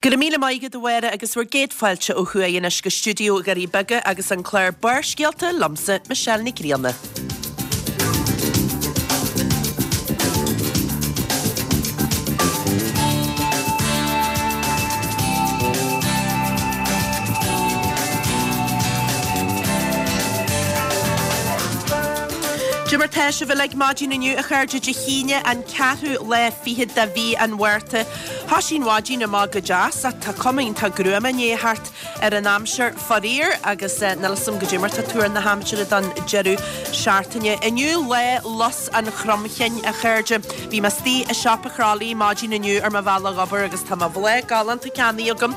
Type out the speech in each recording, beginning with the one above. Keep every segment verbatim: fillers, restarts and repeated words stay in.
Go raibh míle maith agat a Mháire agus bhur gcéad fáilte ó thuaidh anois go stiúideo Dhoirí Beaga agus an clár Barrscéalta liomsa, Michelle Nic Grianna. Cad é mar tá sibh uilig maidin inniu a chairde Dé hAoine an ceathrú lá fichead de mhí an Mhárta. Thosaigh an mhaidin amach go deas ach tá cuma iontach gruama i ndiaidh theacht ar an aimsir faraor agus níl a fhios agam goidé mar tá tuar na haimsire don deireadh seachtaine. Inniu lá Lus an Chromchinn a chairde. Bhí mé istigh i siopa Chrolly maidin inniu ar mo bhealach obair agus tá mo bhláth galánta ceannaithe agam.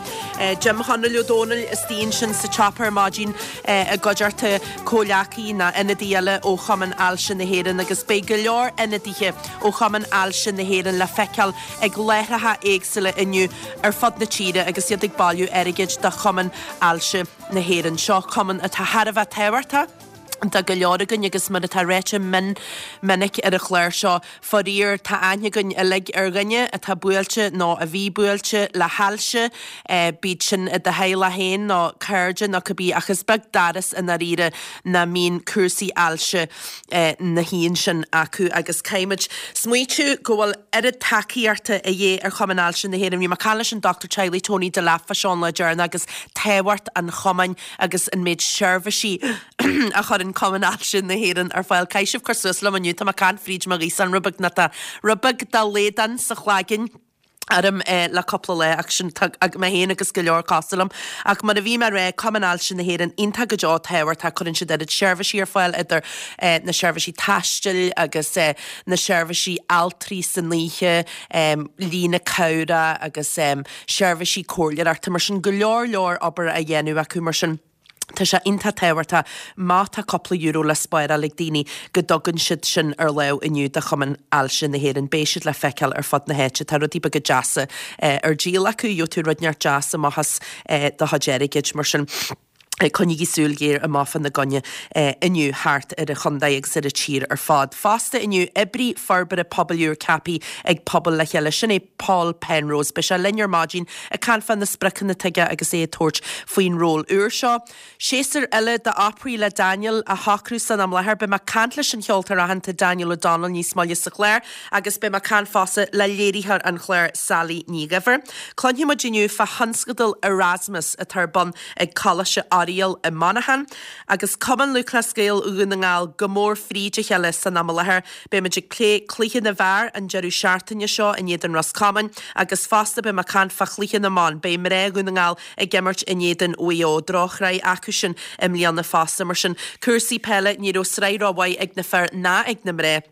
Jim Chonaill Ó Dónaill istigh ansin sa tsiopa ar maidin i gcuideachta comhghleacaí nó ionadaí eile ó Chumann Ailse na hÉireann agus beidh go leor ionadaithe ó Chumann Ailse na hÉireann le feiceáil ag láithreacha éagsúla inniu ar fud na tíre agus iad ag bailiú airgid do Chumann Ailse na hÉireann. Seo cumann atá thar a bheith tábhachtach do go leor againn agus mar atá ráite mion minic ar an chlár seo, faraor tá aithne againn uilig ar dhuine atá buailte nó a bhí buailte le hailse, bíodh sin i do theaghlach féin nó cairde nó cibé ach is beag doras i ndáiríre nach mbíonn cúrsaí ailse ina shuí ansin acu agus caithfimid smaoitiú go bhfuil oiread tacaíochta a dhíth ar Chumann Ailse na hÉireann. Bhí mé ag caint leis an dochtúir teaghlaigh Tony Delap fá seo an lá deireanach agus tábhacht an chumainn agus an méid seirbhísí a chuireann Cumann Ailse na hÉireann ar fáil. Caithfidh sibh cur suas liom inniu, tá mé ag caint fríd mo ghaosán rud beag nó tá rud beag de laghdan sa chlaigeann orm le cúpla lá ach sin tá mé féin agus go leor cosúil liom. Ach mar a bhí mé ag rá, Cumann Ailse na hÉireann iontach go deo tábhachtach, cuireann siad oiread seirbhísí ar fáil idir na seirbhísí taistil agus na seirbhísí altraí san oíche, líne cabhrach agus seirbhísí comhairleoireachta mar sin, go leor leor obair á dhéanamh acu mar sin. Tá sé iontach tábhachtach má tá cúpla euro le spáráil ag daoine go dtugann siad sin ar lámh inniu do Chumann Ailse na hÉireann. Beidh siad le feiceáil ar fud na háite. Tá rudaí beaga deasa ar díol acu. Gheobhaidh tú rud inteacht deas amach as do chuid airgid mar sin. Coinnígí súil ghéar amach fá na gcoinne inniu thart ar an chontae agus ar an tír ar fad. Fosta inniu, oibrí forbartha pobail úr ceaptha ag Pobal le Chéile. Sin é Paul Penrose. Beidh sé linn ar maidin ag caint fá na spriocanna atá aige agus é ag tabhairt faoin ról úr seo. Séasúr eile d'operaí le Daniel á shocrú san am i láthair. Beidh mé ag caint leis an cheoltóir aitheanta Daniel O'Donnell níos moille sa chlár agus beidh mé ag caint fosta le léiritheoir an chláir Sally Ní Dhuibhir. Cluinfidh muid inniu fá thionscadal Erasmus atá ar bun ag Coláiste Oiriall i Monaghan agus Cumann Lúthchleas Gael Dhún na nGall go mór fríd a chéile san am i láthair. Beidh muid ag plé cluiche na bhfear an deireadh seachtaine seo in éadan Ros Comáin agus fosta beidh mé ag caint fá chluiche na mban. Beidh mná Dhún na nGall ag imirt in éadan Mhaigh Eo, drochshraith acu sin i mbliana fosta. Mar sin, cúrsaí peile, ní raibh sraith rómhaith ag na fir ná ag na mná.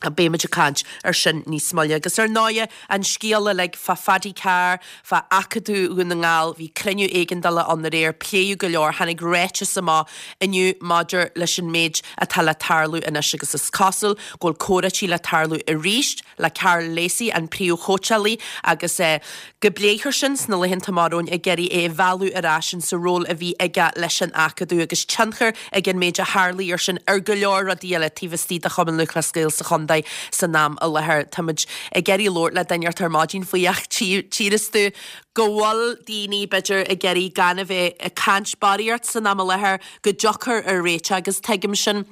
Beidh muid ag caint ar sin níos moille. Agus ar ndóighe, an scéal uilig fá Phaddy Carr, fá Acadamh Dhún na nGall, bhí cruinniú éigeandála ann aréir, pléadh go leor, tháinig ráiteas amach inniu maidir leis an méid atá le tarlú anois agus is cosúil go bhfuil comhráití le tarlú arís le Karl Lacey, an príomhchóitseálaí, agus go bpléifear sin sna laethanta amach romhainn ag iarraidh é a mhealladh ar ais insa ról a bhí aige leis an Acadamh agus tionchar ag an méid a tharlaigh air sin ar go leor rudaí eile taobh istigh de Chumann Lúthchleas Gael sa chontae san am i láthair. Táimid ag iarraidh labhairt le duine ar maidin faoi ach tchíos tú go bhfuil daoine b'fhéidir ag iarraidh gan a bheith ag caint barraíocht san am i láthair go dtiocfar ar réiteach agus tuigim sin.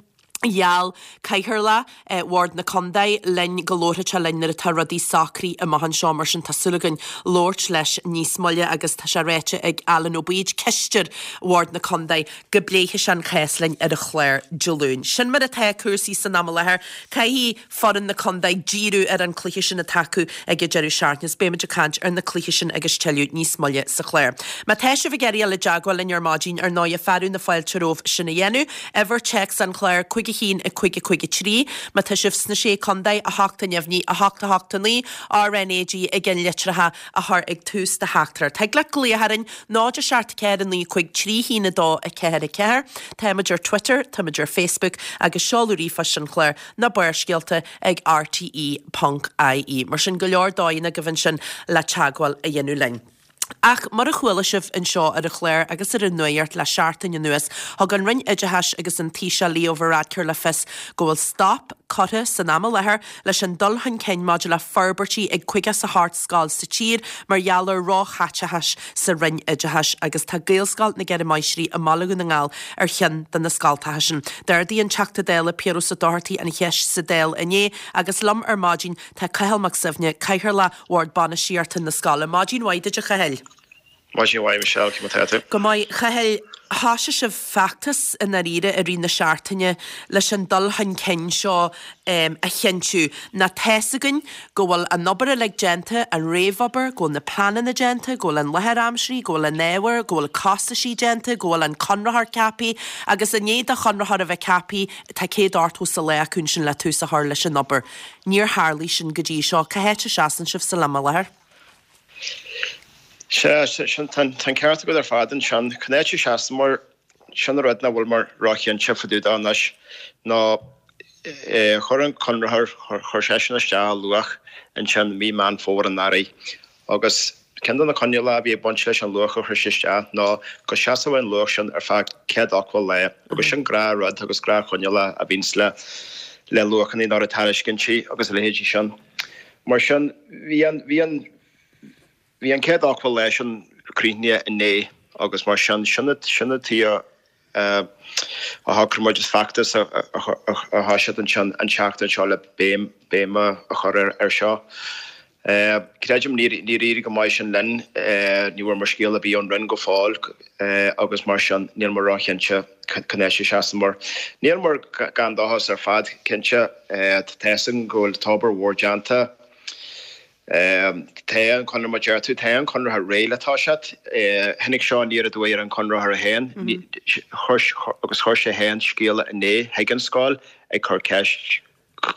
Gheall Cathaoirleach Bhord na Condae linn go labharfadh sé linn nuair atá rudaí socraithe amach anseo, mar sin tá súil againn labhairt leis níos moille agus tá sé ráite ag Alan Ó Baoid, Cisteoir Bhord na Condae, go bpléifidh sé an cás linn ar an chlár Dé Luain. Sin mar atá cúrsaí san am i láthair. Caithfidh foireann na condae díriú ar an cluiche sin atá acu ag an deireadh seachtaine is beimid ag caint ar na cluichí sin agus tuilleadh níos moille sa chlár. Má tá sibh ag iarraidh dul i dteagmháil linn ar maidin, ar ndóighe, fearadh na fáilte romhaibh sin a dhéanamh. Uimhir téacs an chláir, cúig a haon, a cúig a cúig a trí. Má tá sibh sna Sé Contae, a hocht a neamhní, a hocht a hocht a naoi, RnaG i gceannlitreacha a chur ag tús do theachtaireacht. Thig leat glaoch orainn, náid a seacht ceathair a naoi cúig trí haon a dó a ceathair a ceathair. Táimid ar Twitter, táimid ar Facebook agus seoladh ríomhphoist an chláir ná Barrscéalta ag rte ponc ie. Mar sin, go leor dóigheanna agaibh ansin le teagmháil a dhéanamh linn. Ach mar a chuala sibh anseo ar an chlár agus ar an nuacht le seachtain anuas, thug an Roinn Oideachais agus an Taoiseach Leo Varadkar le fios go bhfuil stop curtha san am i láthair leis an dul chun cinn maidir le forbairtí ag caoga is a hocht scoil sa tír mar gheall ar róchaiteachas sa Roinn Oideachais agus tá Gaelscoil na gCeithre Máistrí i mBaile Dhún na nGall ar cheann de na scoltacha sin. D'ardaigh an Teachta Dála Piaras Ó Dochartaigh an cheist sa Dáil inné agus liom ar maidin tá Cathal Mac Suibhne, Cathaoirleach Bhord Bainistíochta na scoile. Maidin mhaith duit a Chathail. Maidin mhaith Michelle cé mar atá tú. Go maith Chathail thosaigh sibh feachtas i ndáiríre i rith na seachtaine leis an dul chun cinn seo um, a chinntiú. Ná tá's againn go bhfuil an obair uilig déanta, an réamhobair, go bhfuil na pleananna déanta, go bhfuil an láthair aimsithe, go bhfuil an ábhar, go bhfuil costaisí déanta, go bhfuil an conraitheoir ceaptha, agus i ndiaidh do chonraitheoir a bheith ceaptha tá céad ochtó is a lá acu sin le tús a chur leis an obair. Níor tharla sin go dtí seo cá háit a seasann sibh sa am i láthair. Se sin tan ceart agat ar fad ansin cá háit a seasann mar sin rud nach bhfuil mar róchinnte fá dtaobh de anois ná chuir an conraitheoir chuir seisean isteach luach ansin mí Meán Fómhair anuraidh. Agus ceann de na coinníollacha a bhí ag baint leis an luach a chuir sé isteach ná go seasfadh an luach sin ar feadh céad ochtó lá, agus sin gnáthrud agus gnáthchoinníoll a bhíonns le le luachanna nó tairiscintí agus a leithéidí sin. Mar sin bhí an bhí an bhí an céad ochtó lá sin críochnaithe inné agus mar sin sin sin tí a shocraigh muid is feachtas a thosaigh ansin an tseachtain seo le béim béim a chur ar ar seo. Creidim níor éirigh go maith sin linn ní bhfuair muid scéal ar bith ón Roinn go fóill agus mar sin níl muid róchinnte cá háit a seasann mar. Níl muid gan dóchas ar fad cinnte tá go bhfuil obair mhór déanta. Tá an conradh mar deir tú tá an conraitheoir réidh le toiseacht, tháinig seo aniar aduaidh ar an conraitheoir féin agus chuir sé féin scéala inné chuig an scoil ag cur ceist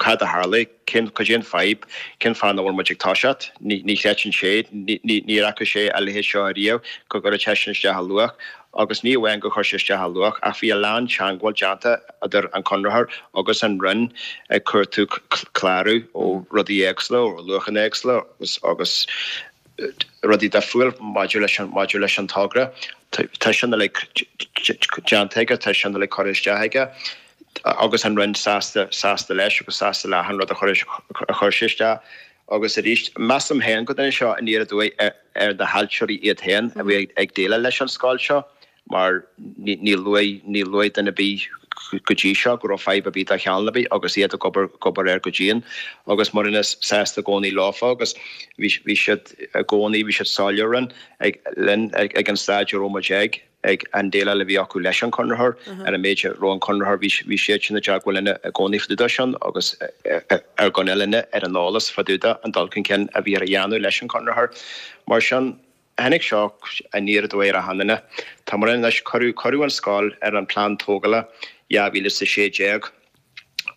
cad a tharla cén cad é an fadhb cén fáth nach bhfuil muid ag toiseacht ní chreideann sé ní fhaca sé a leithéid seo riamh go gcuirfeadh seisean isteach a luach agus ní amháin go chuir sé isteach a luach ach bhí a lán teagmháil déanta idir an conraitheoir agus an Roinn ag cuartú clárú ó rudaí éagsúla ó luachanna éagsúla agus agus rudaí difriúil maidir leis an maidir leis an togra. Tá sin uilig déanta aige, tá sin uilig curtha isteach aige agus an Roinn sásta sásta leis agus sásta le an rud a chuir a chuir sé isteach. agus arís measaim féin go dtáinig seo aniar aduaidh ar na hailtirí iad féin a bhí ag déileáil leis an scoil seo mar ní luaigh ní luaigh duine ar bith go dtí seo go raibh fadhb ar bith de chineál ar bith agus iad ag obair obair air go dian agus muidne sásta i gcónaí leofa agus bhí bhí siad i gcónaí bhí siad soiléir ag linn ag an staid a raibh muid ag ag an déileáil a bhí acu leis an conraitheoir ar an méid raibh an conraitheoir bhí bhí siad sin i dteagmháil linn i gcónaí fá dtaobh de sin agus ar gcoinne linne ar an eolas fá dtaobh de an dul chun cinn a bhí ar a dhéanamh leis an conraitheoir. Mar sin tháinig seo aniar aduaidh ar achan duine. Tá mar anois cuireadh cuireadh an scoil ar an plean tógála dhá mhíle is a sé déag.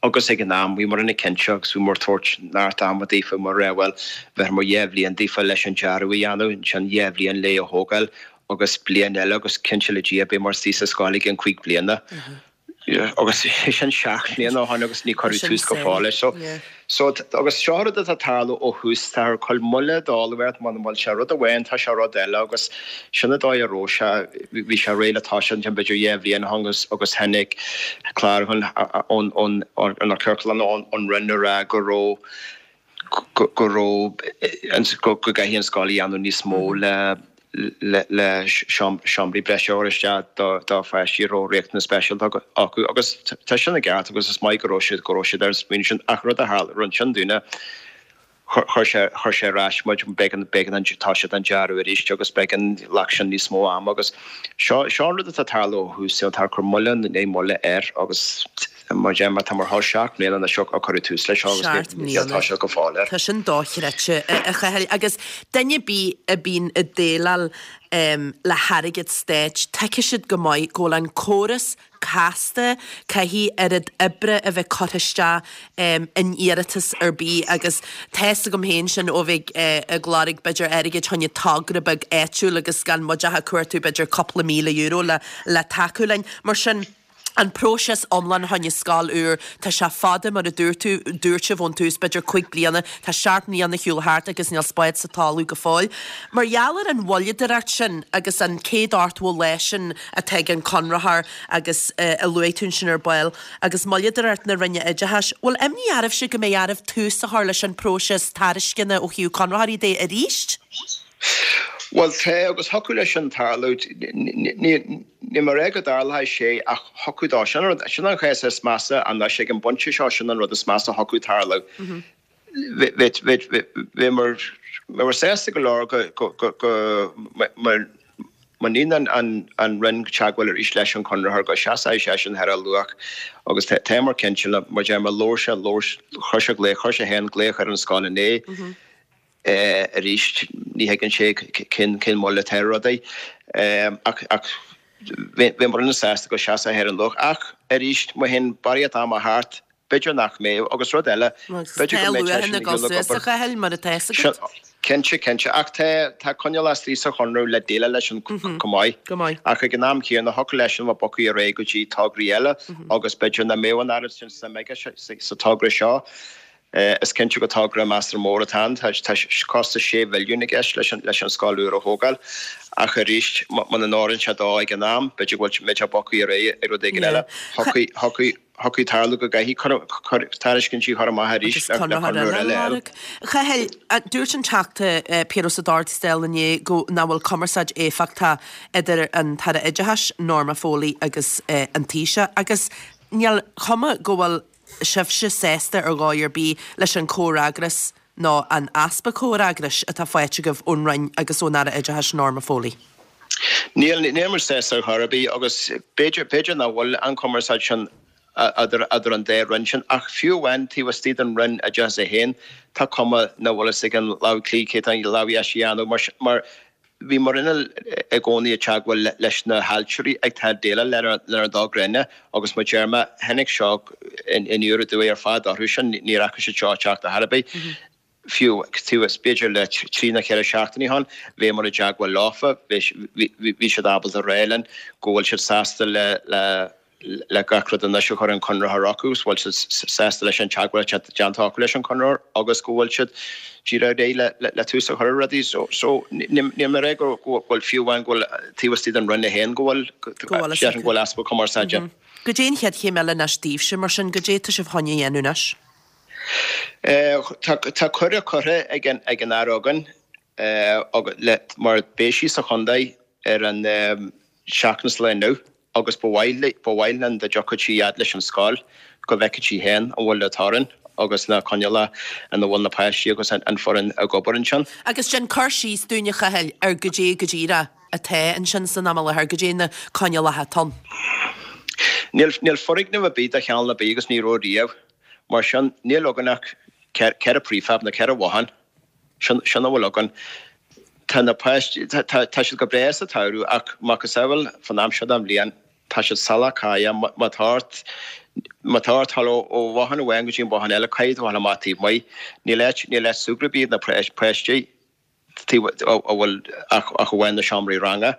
Agus ag an am bhí muidne cinnte agus bhí muid ag tabhairt neart ama daofa mar bhuel bheith mar dhá bhliain daofa leis an dearadh a dhéanamh ansin dhá bhliain le a thógáil agus bliain eile agus cinnte le Dia beidh muid istigh sa scoil i gceann cúig bliana. Agus sin seacht mbliana ó shin agus ní cuireadh tús go fóill leis. So so agus seo rud atá ag tarlú ó thús tá ar cuil moille dála bheart mar bhfuil sé rud amháin tá sé rud eile agus sin an dóigh a raibh sé bhí sé réidh le toiseacht ansin b'fhéidir dhá bhliain ó shin agus agus tháinig clárúchán ón ón ón ciorclán ón ón Roinn a rá go raibh go go raibh go go gcaithfidh an scoil a dhéanamh níos mó le le le seomraí breise a chur isteach do do pháistí a raibh riachtanas speisialta acu agus tá sin i gceart agus is maith go raibh siad go raibh siad ar an smaoineamh sin ach rud a tharla rud sin dúinne chuir sé chuir sé ar ais muid b'éigean b'éigean an toiseacht an dearadh arís agus b'éigean ghlac sin níos mó ama agus seo seo an rud atá ag tarlú ó thús tá cur moille né moille air agus mar deir tá mar thá seacht mbliana anois ó cuireadh tús leis seo agus níl tá sé go fóill air. Tá sin dochreidte a Chathail agus duine ar bith a bhíonn ag déileáil um, le hairgead stáit, tuigeann siad go maith go bhfuil an córas casta caithfidh oiread oibre a bheith curtha isteach um, in iarratas ar bith agus tá's agam féin sin ó bheith uh, ag lorg b'fhéidir airgead chun togra beag áitiúil agus gan muid ach ag cuartú b'fhéidir cúpla míle euro le, le tacú linn. Mar sin, An próiseas iomlán fá choinne scoil úr, tá sé fada mar a dúirt tú, dúirt sibh ón tús, b'fhéidir cúig bliana, tá seacht mbliana ar shiúl thart agus níl spád sa talamh go fóill. Mar gheall ar an mhoilleadóireacht sin agus an céad ochtó lá sin atá ag an conraitheoir agus a luaigh tú ansin ar ball, agus moilleadóireacht na Roinne Oideachais, bhfuil imní oraibhse go mbeidh oraibh tús a chur leis an próiseas tairisceana ó thaobh conraitheoirí de arís? Bhuel tá, agus thiocfadh leis sin tarlú. Níl mé ag rá go dtarlóidh sé ach thiocfadh dó. Sin an rud, sin an chás is measa anois ag an bpointe seo, sin an rud is measa a thiocfadh tarlú. Bheamar sásta go leor go, go, go, go, má níonn an, an Roinn teagmháil arís leis an conraitheoir go seasfaidh seisean ar a luach agus táimid cinnte mar deir mé labhair sé, labhair, chuir sé glaoch, chuir sé féin glaoch ar an scoil inné. Arís, ní thuigeann sé cén cén moill atá ar rudaí. Ach ach bheamar an-sásta go seasfadh sé ar an luach. Ach arís, má théann barraíocht ama thart, b'fhéidir nach mbeidh. Agus rud eile, b'fhéidir go mbeidh seisean ag dul ag obair. Mar atá fhios agat. Cinnte, cinnte. Ach tá tá coinníoll istigh sa chonradh le déileáil leis sin chomh maith. Ach ag an am céanna, thiocfadh leisean a bheith bogtha ar aghaidh go dtí tograí eile agus b'fhéidir nach mbeadh an oiread sin suim aige sa togra seo. Is cinnte gur togra measartha mór atá ann. Tá costas sé mhilliún i gceist leis an scoil úr a thógáil. Ach arís, muna n-oireann sé dó ag an am, b'fhéidir go bhfuil sé bogtha ar aghaidh ag rud éigin eile. Thiocfadh tarlú go gcaithfidh tairiscintí a chur amach arís le conraitheoir eile a fháil. Chathail, dúirt an Teachta Piaras Ó Dubhghaill inné go nach bhfuil cumarsáid éifeachtach idir an tAire Oideachais, Norma Foley agus an Taoiseach agus níl cuma go bhfuil sibhse sásta ar dhóigh ar bith leis an chomhfhreagras nó an easpa comhfhreagrais atá faighte agaibh ón Roinn agus ón Aire Oideachais Norma Foley? Níl, níl muid sásta ar chor ar bith agus b'fhéidir, b'fhéidir nach bhfuil an chumarsáid sin idir, idir an dá Roinn sin ach fiú amháin taobh istigh den Roinn Oideachais é féin tá cuma nach bhfuil fhios ag an lámh chlí cé tá an lámh dheis a dhéanamh mar, mar Bhí muidne i gcónaí i dteagmháil leis na hailtirí atá ag déileáil lenár dtogra inne agus mar a deir mé, tháinig seo aniar aduaidh ar fad orthu sin, ní fhaca siad seo ag teacht ar chor ar bith. Fiú b'fhéidir le trí nó ceithre seachtainí ó shin, bhíomar i dteagmháil leofa, bhí siad ábalta a rá linn go bhfuil siad sásta le le gach rud anois a chuir an conraitheoir chucu, go bhfuil siad sásta leis an teagmháil atá déanta acu leis an conraitheoir agus go bhfuil siad díreach réidh le tús a chur ar rudaí. So níl mé ag rá go bhfuil fiú amháin go bhfuil taobh istigh den Roinn féin go bhfuil déarfainn go bhfuil easpa cumarsáide. Goidé an chéad chéim eile anois daoibhse mar sin, goidé atá sibh chun a dhéanamh anois? Tá cuireadh curtha ag an Aire againn mar beidh sí sa chontae ar an seachtain is lá inniu agus ba mhaith ba mhaith linn dá dtiocfadh sí fhad leis an scoil go bhfeicfeadh sí féin an bhfuil an torann agus na coinníollacha ina bhfuil na páistí agus an foireann ag obair ansin. Agus déan cur síos dúinn a Chathail ar goidé go díreach atá ansin san am i láthair, goidé na coinníollacha atá ann. Níl níl foirgneamh ar bith de chineál ar bith agus ní raibh riamh. Mar sin níl againn ach ceithre prefab nó ceithre bhothán. Sin sin a bhfuil againn. Tá na páistí, tá tá siad go breá sa tsamhradh ach macasamhail fán am seo den bhliain tá siad salach cáidhe. Má tá ort, má tá ort dul ó bhothán amháin go dtí an bothán eile caithfidh tú a dhul amach taobh amuigh. Níl áit, níl áit súgradh ar bith ag na páistí taobh, a bhfuil ach ach amháin na seomraí ranga.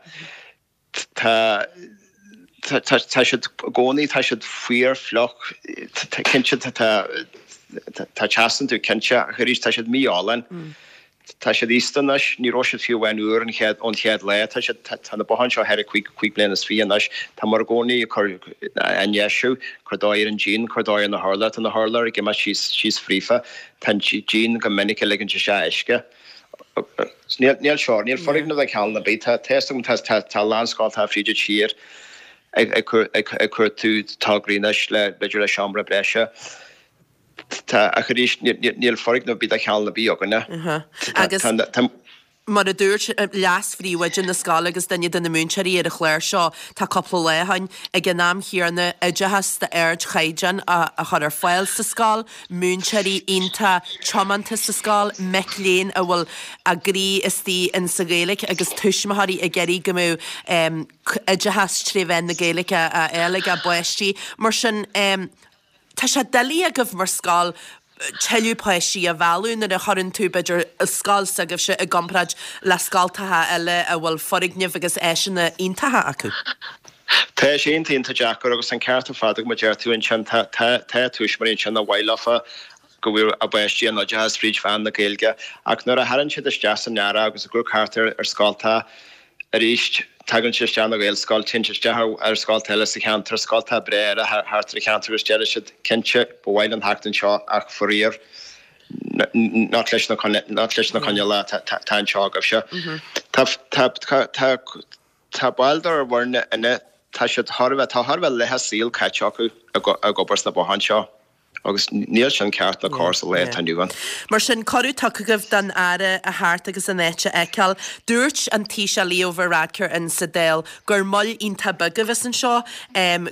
Tá tá tá siad i gcónaí, tá siad fuar, fliuch, cinnte tá tá teas iontu cinnte ach arís tá siad mífholláin. Tá siad aosta anois, ní raibh siad fiú amháin úr an chéad, ón chéad lá. Tá siad, tá na botháin seo thar cúig, cúig bliana is fiche anois. Tá muid i gcónaí ag cur, á ndeisiú, cur dóigh ar an díon, cur dóigh ar na hurláir. Tá na hurláir ag imeacht síos, síos fríofa. Tá an díon go minic ag ligint isteach uisce. Níl, níl seo, níl foirgneamh de chineál ar bith. Tá, tá fhios agam, tá, tá, tá a lán scoltacha fríd an tír ag, ag cur, ag, ag cuartú tograí anois le, b'fhéidir le seomra breise. Tá, ach arís, níl foirgneamh ar bith de chineál ar bith againne. Agus mar a dúirt leas-phríomhoide na scoile agus duine de na múinteoirí ar an chlár seo, tá cúpla lá ó shin, ag an am chéanna, oideachas d'ardchaighdeán a chur ar fáil sa scoil, múinteoirí iontach tiomanta sa scoil, mic léinn a bhfuil a gcroí istigh in sa Ghaeilge agus tuismitheoirí ag iarraidh go mbeadh oideachas tré mheán na Gaeilge á fháil ag a bpáistí. Mar sin, Tá sé doiligh agaibh mar scoil tuilleadh páistí a mhealladh nuair a chuireann tú, b'fhéidir, scoil s'agaibhse i gcomparáid le scoltacha eile a bhfuil foirgnimh agus áiseanna iontacha acu. Tá sé iontach deacair agus an ceart ar fad agat mar deir tú ansin tá tá tá tuismitheoirí ansin ar mhaith leofa go bhfuil a bpáistí in oideachas fríd mheán na Gaeilge ach nuair a thagann siad isteach san earrach agus ag dul thart ar ar scolta arís tagann siad isteach na Gaelscoil téann siad isteach ar scolta eile sa cheantar scolta breá eile thart ar an cheantar agus deir siad cinnte ba mhaith linn theacht anseo ach faraor nach leis na nach leis na coinníollacha atá anseo agaibhse. Tá tá tá tá baill dár bhfoirne inne tá siad thar a bheith tá thar a bheith leath a saol caite acu ag obair sna botháin seo agus níl sin ceart ná cóir sa lá atá inniu ann. Mar sin, cuireadh tugtha agaibh don Aire a theacht agus an áit a fheiceáil. Dúirt an Taoiseach Leo Varadkar in sa Dáil gur moll iontach beag a bheas anseo,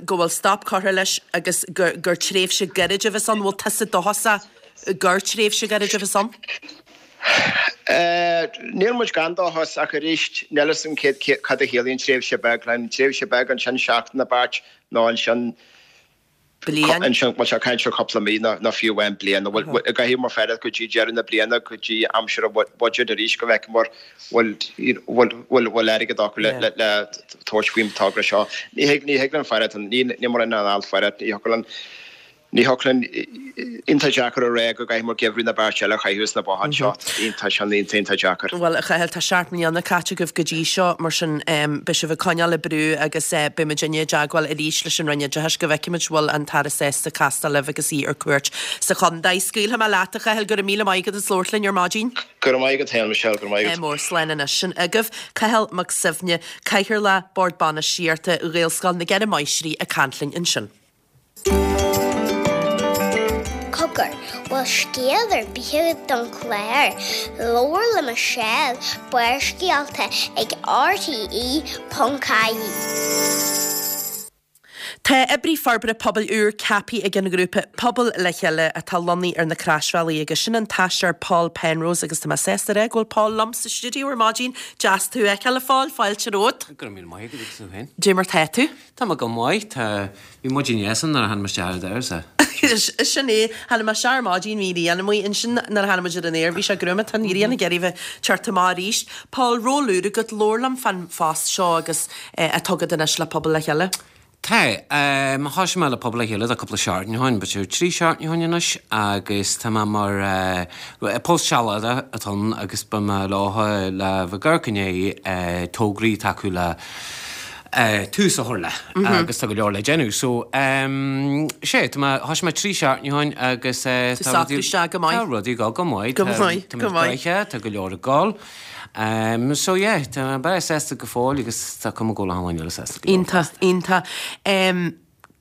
go bhfuil stop curtha leis agus gur gur tréimhse gairid a bheas ann. Bhfuil tusa dóchasach gur tréimhse gairid a bheas ann? Níl muid gan dóchas ach arís níl a fhios agam cad a chiallaíonn tréimhse beag. An tréimhse beag ansin seachtain nó beirt nó ansin Bliain. Ansin bhfuil sé ag caint ar chúpla mí nó fiú amháin bliain. Nó bhfuil caithfidh muid fanacht go dtí deireadh na bliana go dtí aimsir an bhuiséid arís go bhfeicfidh muid bhfuil bhfuil bhfuil airgead acu le le le tabhairt faoin togra seo. Ní thig ní thig linn fanacht ní ní mar an alt fanacht ní thiocfadh linn Ní thiocfadh linn, iontach deacair a rá go gcaithfidh muid geimhreadh nó beirt eile a chaitheamh sna botháin seo. Iontach sin, iontach, iontach deacair. Bhuel, a Chathail, tá seacht mbliana caite agaibh go dtí seo, mar sin beidh sibh ag coinneáil ag brú agus beidh muidinne i dteagmháil arís leis an Roinn Oideachais go bhfeicfimid bhfuil an tAire sásta castáil libh agus í ar cuairt sa chontae. Scaoilfidh mé leat, a Chathail, go raibh míle maith agat as labhairt linn ar maidin. Go raibh maith agat féin, Michelle, go raibh maith agat. Mór slán anois. Sin agaibh Cathal Mac Suibhne, Cathaoirleach Bord Bainistíochta Ghaelscoil na gCeithre Máistrí ag caint linn ansin. Cogar, bhfuil scéal ar bith agat don chlár? Labhair le Michelle, Barrscéalta ag RTE ponc ie. Tá oibrí forbartha pobail úr ceaptha ag an ghrúpa Pobal le Chéile atá lonnaithe ar na Croisbhealaí agus sin an t-aisteoir Paul Penrose agus tá mé sásta a rá go bhfuil Paul liom sa stiúideo ar maidin. Deas tú a fheiceáil a Phóil, fáilte romhat. Go raibh míle maith agat agus tú féin. Dé mar tá tú? Tá mé go maith, tá, bhí maidin dheas ann nuair a tháinig mé isteach ar an doras. Sin é, tháinig mé isteach ar maidin, bhí an ghrian amuigh ansin nuair a tháinig muid ar an aer, bhí sé gruama, tá an ghrian ag iarraidh bheith ag teacht amach arís. Paul, ról úr agat, labhair liom fán phost seo agus atá agat anois le Pobal le Chéile. Tá, thosaigh mé le Pobal le Chéile tá cúpla seachtain ó shin, b'fhéidir trí seachtaine ó shin anois agus tá mé mar, post sealadach atá ann agus beidh mé leo le bheith ag amharc i ndiaidh tograí atá acu le tús a chur le agus tá go leor le déanamh. So, sé, tá mé, thosaigh mé trí seachtaine ó shin agus tá rudaí, tá rudaí ag dul go maith, Go maith, tá go maith. tá go leor ag dul. Um, so yeah, tá mé breá sásta go fóill agus tá cuma go bhfuil achan duine eile sásta go leor. Iontach, iontach. Um,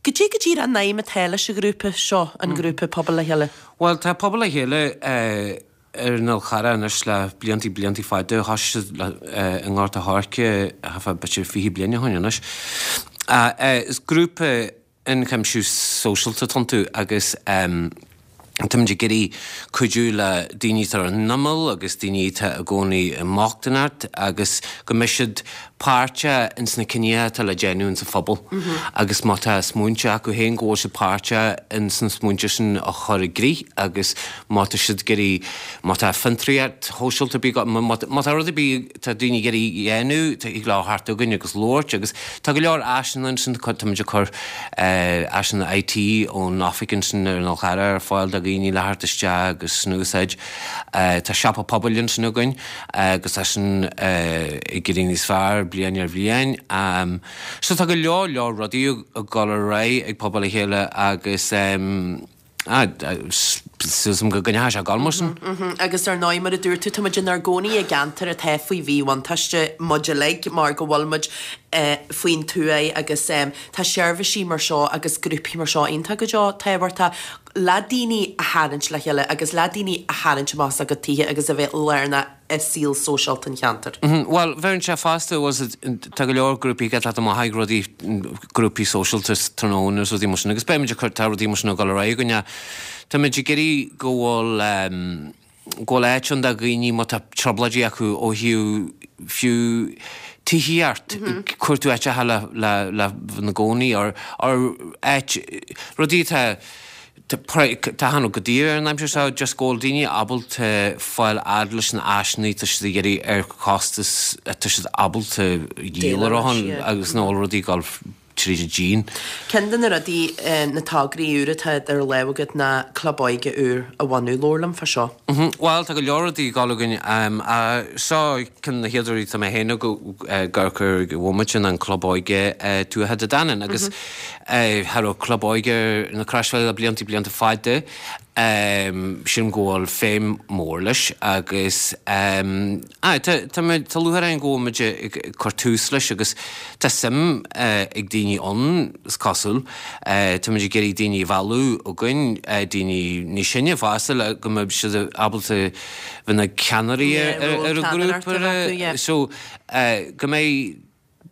Goidé go díreach an aidhm atá leis an ghrúpa seo, an grúpa Pobal le Chéile? Bhuel, tá Pobal le Chéile uh, ar an Fhál Charrach anois le blianta blianta fada, thosaigh siad uh, i nGort a' Choirce b'fhéidir fiche bliain ó shin anois. Uh, uh, is grúpa ionchuimsiú sóisialta atá iontu agus um, Táimid ag iarraidh cuidiú le daoine atá ar an imeall agus daoine atá i gcónaí i mbochtaineacht agus go mbeidh siad páirteach ins na cinntí atá le déanamh insa phobal agus má tá smaointe acu féin go bhfuil siad páirteach ins na smaointe sin a chur i gcrích agus má tá siad ag iarraidh, má tá fiontraíocht shóisialta ar bith, má tá rud ar bith tá daoine ag iarraidh a dhéanamh, thig leo theacht chugainn agus labhairt agus tá go leor áiseanna ansin, táimid ag cur áiseanna IT ón oifig ansin ar an Fhál Charrach ar fáil do dhaoine le theacht isteach agus in úsáid. Tá siopa pobail ansin againn agus tá sin ag éirí níos fearr bliain ar bhliain. So tá go leor leor rudaí ag dul ar aghaidh ag Pobal le Chéile agus súil agam go gcoinneoidh sé ag dul mar sin. Agus ar ndóigh, mar a dúirt tú, tá muid inár gcónaí i gceantar atá faoi mhíbhuntáiste, muid uilig, mar go bhfuil muid faoin tuath agus tá seirbhísí mar seo agus grúpaí mar seo iontach go deo tábhachtach le daoine a tharraingt le chéile agus le daoine a tharraingt amach as a gcuid tithe agus a bheith lárnach i saol sóisialta an cheantair. Bhuel, bheireann sé fosta, tá go leor grúpaí ag teacht amach ag rudaí, grúpaí sóisialta tráthnóna agus rudaí mar sin agus beimid ag cur, tá rudaí mar sin ag dul ar aghaidh againne. Táimid ag iarraidh go bhfuil, go bhfuil áit ann do dhaoine má tá trioblóidí acu ó thaobh fiú tithíocht, cuartú áiteacha le, le, le bheith ina gcónaí or, or áit, rudaí atá, tá an go daor ar an aimsir seo, just go bhfuil daoine ábalta fáil fhad leis na áiseanna tá siad ag iarraidh ar chostas atá siad ábalta díol orthu agus nach bhfuil rudaí ag dul tríd an díon. Ceann de na rudaí, na tograí úra atá idir lámha agat ná club óige úr a bhunú. Labhair liom fá seo. Bhuel, tá go leor rudaí ag dul againn. Seo ceann de na chéad rudaí atá mé féin ag amharc air ag an bhomaite ná an Club Óige Tuaithe Dé Danann agus cha raibh club óige ar na Croisbhealaí le blianta blianta fada. Sílim go bhfuil feidhm mór leis agus aye tá tá tá lúcháir orainn go bhfuil muid ag cur tús leis agus tá suim ag daoine ann is cosúil. Tá muid ag iarraidh daoine a mhealladh chugainn, daoine níos sine fosta le go mbeidh siad ábalta bheith ina ceannairí ar an ghrúpa so go mbeidh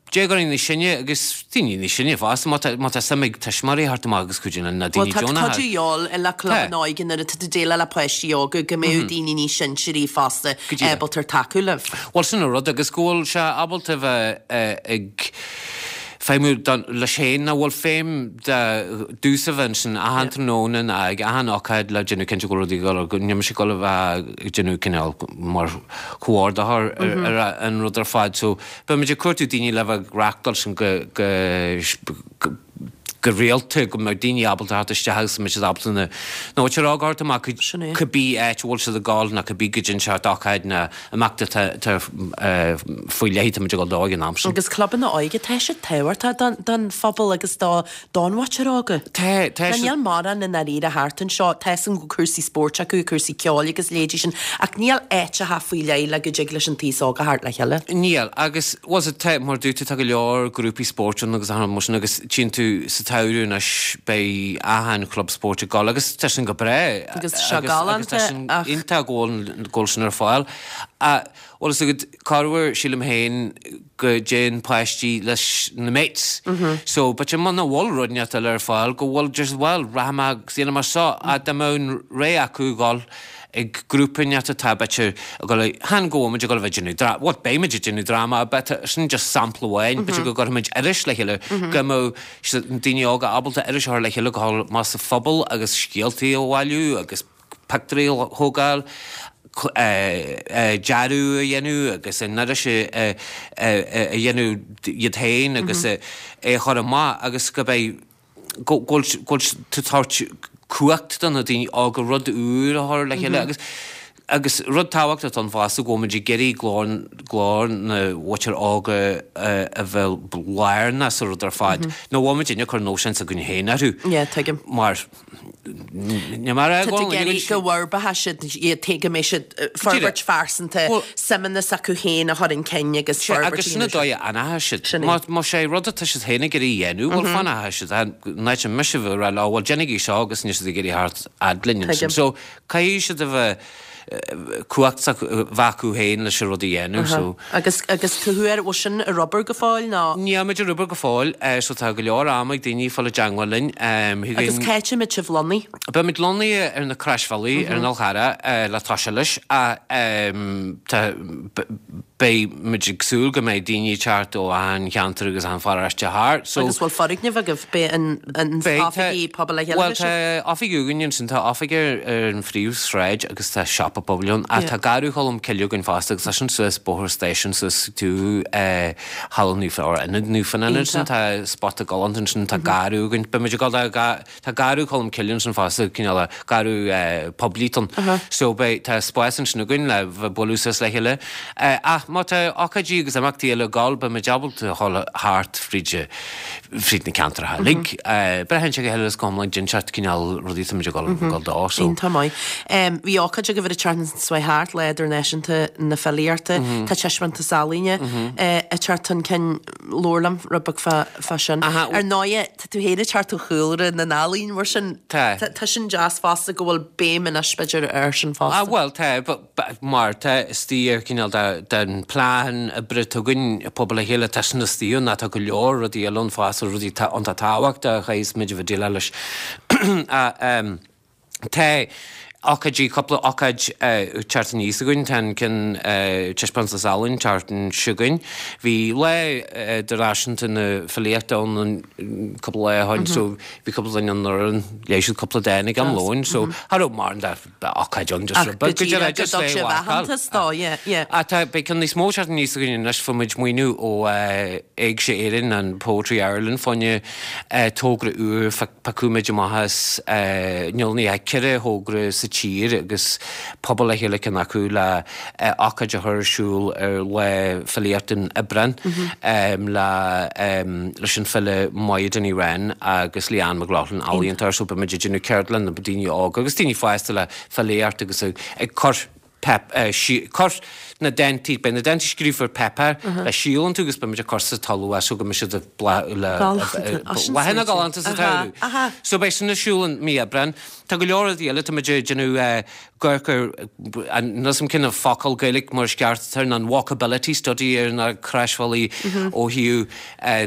déagóirí níos sine agus daoine níos sine fosta, má tá, má tá suim ag tuismitheoirí theacht amach agus cuidiú linn na Bhuel daoine tá deonacha. cuid de dhíobháil le clubanna óige nuair atá tú ag déileáil le páistí óga go mbeadh daoine níos sinsearaí fosta Go díreach. ábalta tacú libh. Bhuel sin an rud agus go bhfuil sé ábalta bheith ag feidhmiú don, leis féin nach bhfuil feidhm de domhsa bheith ansin achan tráthnóna ná ag achan ócáid le déanamh cinnte go bhfuil rudaí ag dul, go níl mise ag dul a bheith ag déanamh cineál mar chomhordaitheoir ar ar an rud ar fad so beidh muid ag cuartú daoine le bheith ag reachtáil sin go go go go rialta go mbeidh daoine ábalta theacht isteach agus go mbeidh siad ábalta na na muintir óga a thabhairt amach chuig Sin é. cibé áit a bhfuil siad ag gabháil nó cibé go dtéann seort ócáid nó imeacht atá atá faoi leith atá muid ag dul dó ag an am sin. Agus clubanna óige, tá siad tábhachtach don don phobal agus do don mhuintir óga. Tá, tá Mar siad. níl mórán i ndáiríre thart anseo, tá a fhios agam go bhfuil cúrsaí spóirt acu, cúrsaí ceoil agus leithéidí sin, ach níl áiteacha faoi leith le go dtig leis an t-aos óg a theacht le chéile. Níl, agus was it tá, mar dúirt tú, tá go leor grúpaí spóirt ann agus achan rud mar sin agus tchíonn tú sa tsamhradh anois beidh achan chlub spóirt ag dul agus tá sin go breá Agus tá sé agus galánta tá sin ach. iontach go bhfuil go bhfuil sin ar fáil. Bhuel is agat corruair sílim féin go dtéann páistí leis na mates. So but muna bhfuil rud inteacht eile ar fáil go bhfuil just bhuel rachaidh mé agus déanfaidh mé seo ach dá mbeadh an rogha acu dhul ag grúpa inteacht atá b'fhéidir ag dul chan go bhfuil muid ag dul a bheith ag déanamh dra- bhuel beidh muid ag déanamh dráma but sin just sampla amháin b'fhéidir go gcuirfimid iris le chéile go mbeadh siad na daoine óga ábalta iris a chur le chéile go dhul amach sa phobal agus scéaltaí a bhailiú agus pictiúirí a thógáil dearadh a dhéanamh agus an iris a dhéanamh iad féin agus é a chur amach agus go mbeidh go bhfuil tú ag tabhairt cumhacht do na daoine óga rud úr a chur le chéile agus agus rud tábhachtach ann fosta go bhfuil muid ag iarraidh glór glór na mhuintir óga a bheith lárnach sa rud ar fad. Nó bhfuil muid ag cur nóisean s'againn féin orthu. Yeah, tuigim. Mar ní mar Tá tú ag iarraidh go bhforbróidh siad iad féin go mbeidh siad forbairt phearsanta, suimeanna s'acu féin a chur chun cinn agus forbairt Agus sin an dóigh a fhanfaidh siad. Sin é. Má má sé rud atá siad féin ag iarraidh a dhéanamh, bhuel fanfaidh siad. In áit mise a bheith ag rá leo, bhuel déanaigí seo agus níl siad ag iarraidh theacht fhad linn ansin. Tuigim. So caithfidh siad a bheith cumhacht bheith acu féin leis an rud a dhéanamh. So. Agus agus cá huair bhfuil sin ar obair go fóill nó? Níl muid ar obair go fóill, so tá go leor ama ag daoine fáil i dteagmháil linn. Agus cá háit a mbeidh sibh lonnaithe? Beidh muid lonnaithe ar na Croisbhealaí ar an Fhál Charrach le toiseacht leis ach tá beidh muid ag súil go mbeidh daoine ag teacht ó achan cheantar agus achan pharóiste thart. So, Agus bhfuil foirgneamh agaibh? Beidh an an Beidh, tá, oifigí pobail le chéile bhuel leis tá sibh? oifig againn ansin, tá oifig ar ar an phríomhshráid agus tá siopa pobail ann ach Yeah. tá Garradh Cholm Cille againn fosta agus tá sin suas Bóthar Stáisiúin suas tú eh, Halla Naomh or Ionad Naomh Fionnán ansin, Iontach. tá spota galánta ansin, tá garradh againn, beidh muid ag dul do ga- tá Garradh Cholm Cille ansin fosta, cineál garradh eh, poiblí ann. So beidh tá spás ansin againn le bheith bualadh suas le chéile. Eh, ach má tá ócáidí agus imeachtaí eile ag gabháil, beidh muid ábalta a dhul thart fríd fríd na ceantracha uilig. Eh, braitheann sé go huile is go hiomlán cén seort cineál rudaí atá muid ag dul ag dul dó, so. Iontach maith. Em, bhí ócáid agaibh ar an tseachtain seo thart, Lá Idirnáisiúnta na Filíochta. Tá taispeántas ealaíne eh, ag teacht chun cinn. Labhair liom rud beag fá fá sin. Aha, Ar ndóigh, tá tú féin ag teacht ó chúlra na n-ealaíon mar sin. Tá. Tá tá sin deas fosta go bhfuil béim anois b'fhéidir air sin fosta. Ah, bhuel, tá, but, but, mar tá istigh ar cineál de, den plean oibre atá againn i Pobal le Chéile, tá sin istigh ann, tá go leor rudaí eile ann fosta, rudaí tá iontach tábhachtach a chaithfeas muid a bheith déileáil leis. Ah, em, tá, Ócáidí, cúpla ócáid ag teacht aníos againn, tá an ceann Taispeántas Ealaíon teacht chugainn. Bhí Lá Idirnáisiúnta na Filíochta ann cúpla lá ó shin so bhí cúpla duine ann, léigh siad cúpla dán ag am lóin so cha raibh mórán de ócáid ann just rud beag go deireadh just le mharcáil. Ach tá, beidh ceann níos mó teacht aníos againn anois, fuair muid maoiniú ó Éigse Éireann and Poetry Ireland fá choinne togra úr, piocfaidh muid amach as, níl ní ach ceithre thogra sa tír agus pobal le chéile ceann acu le ócáid a chur ar siúl ar Lá Filíochta in Aibreán le leis an file Máire Ní Rinn agus Leanne McLaughlin ealaíontóir so beidh muid ag déanamh ceardlann le daoine óga agus daoine fásta le filíocht agus ag cur cur na dántaí, beidh na dántaí scríofa ar páipéar le síol iontu agus beidh muid ag cur sa talamh é so go mbeidh siad ag bláthanna galánta sa tsamhradh. So beidh sin ar siúl in mí Aibreán. Tá go leor rudaí eile, tá muid ag déanamh amharc ar, níl 'fhios a'm cén focal Gaeilge mar is ceart atá air, an walkability study ar na croisbhealaí ó thaobh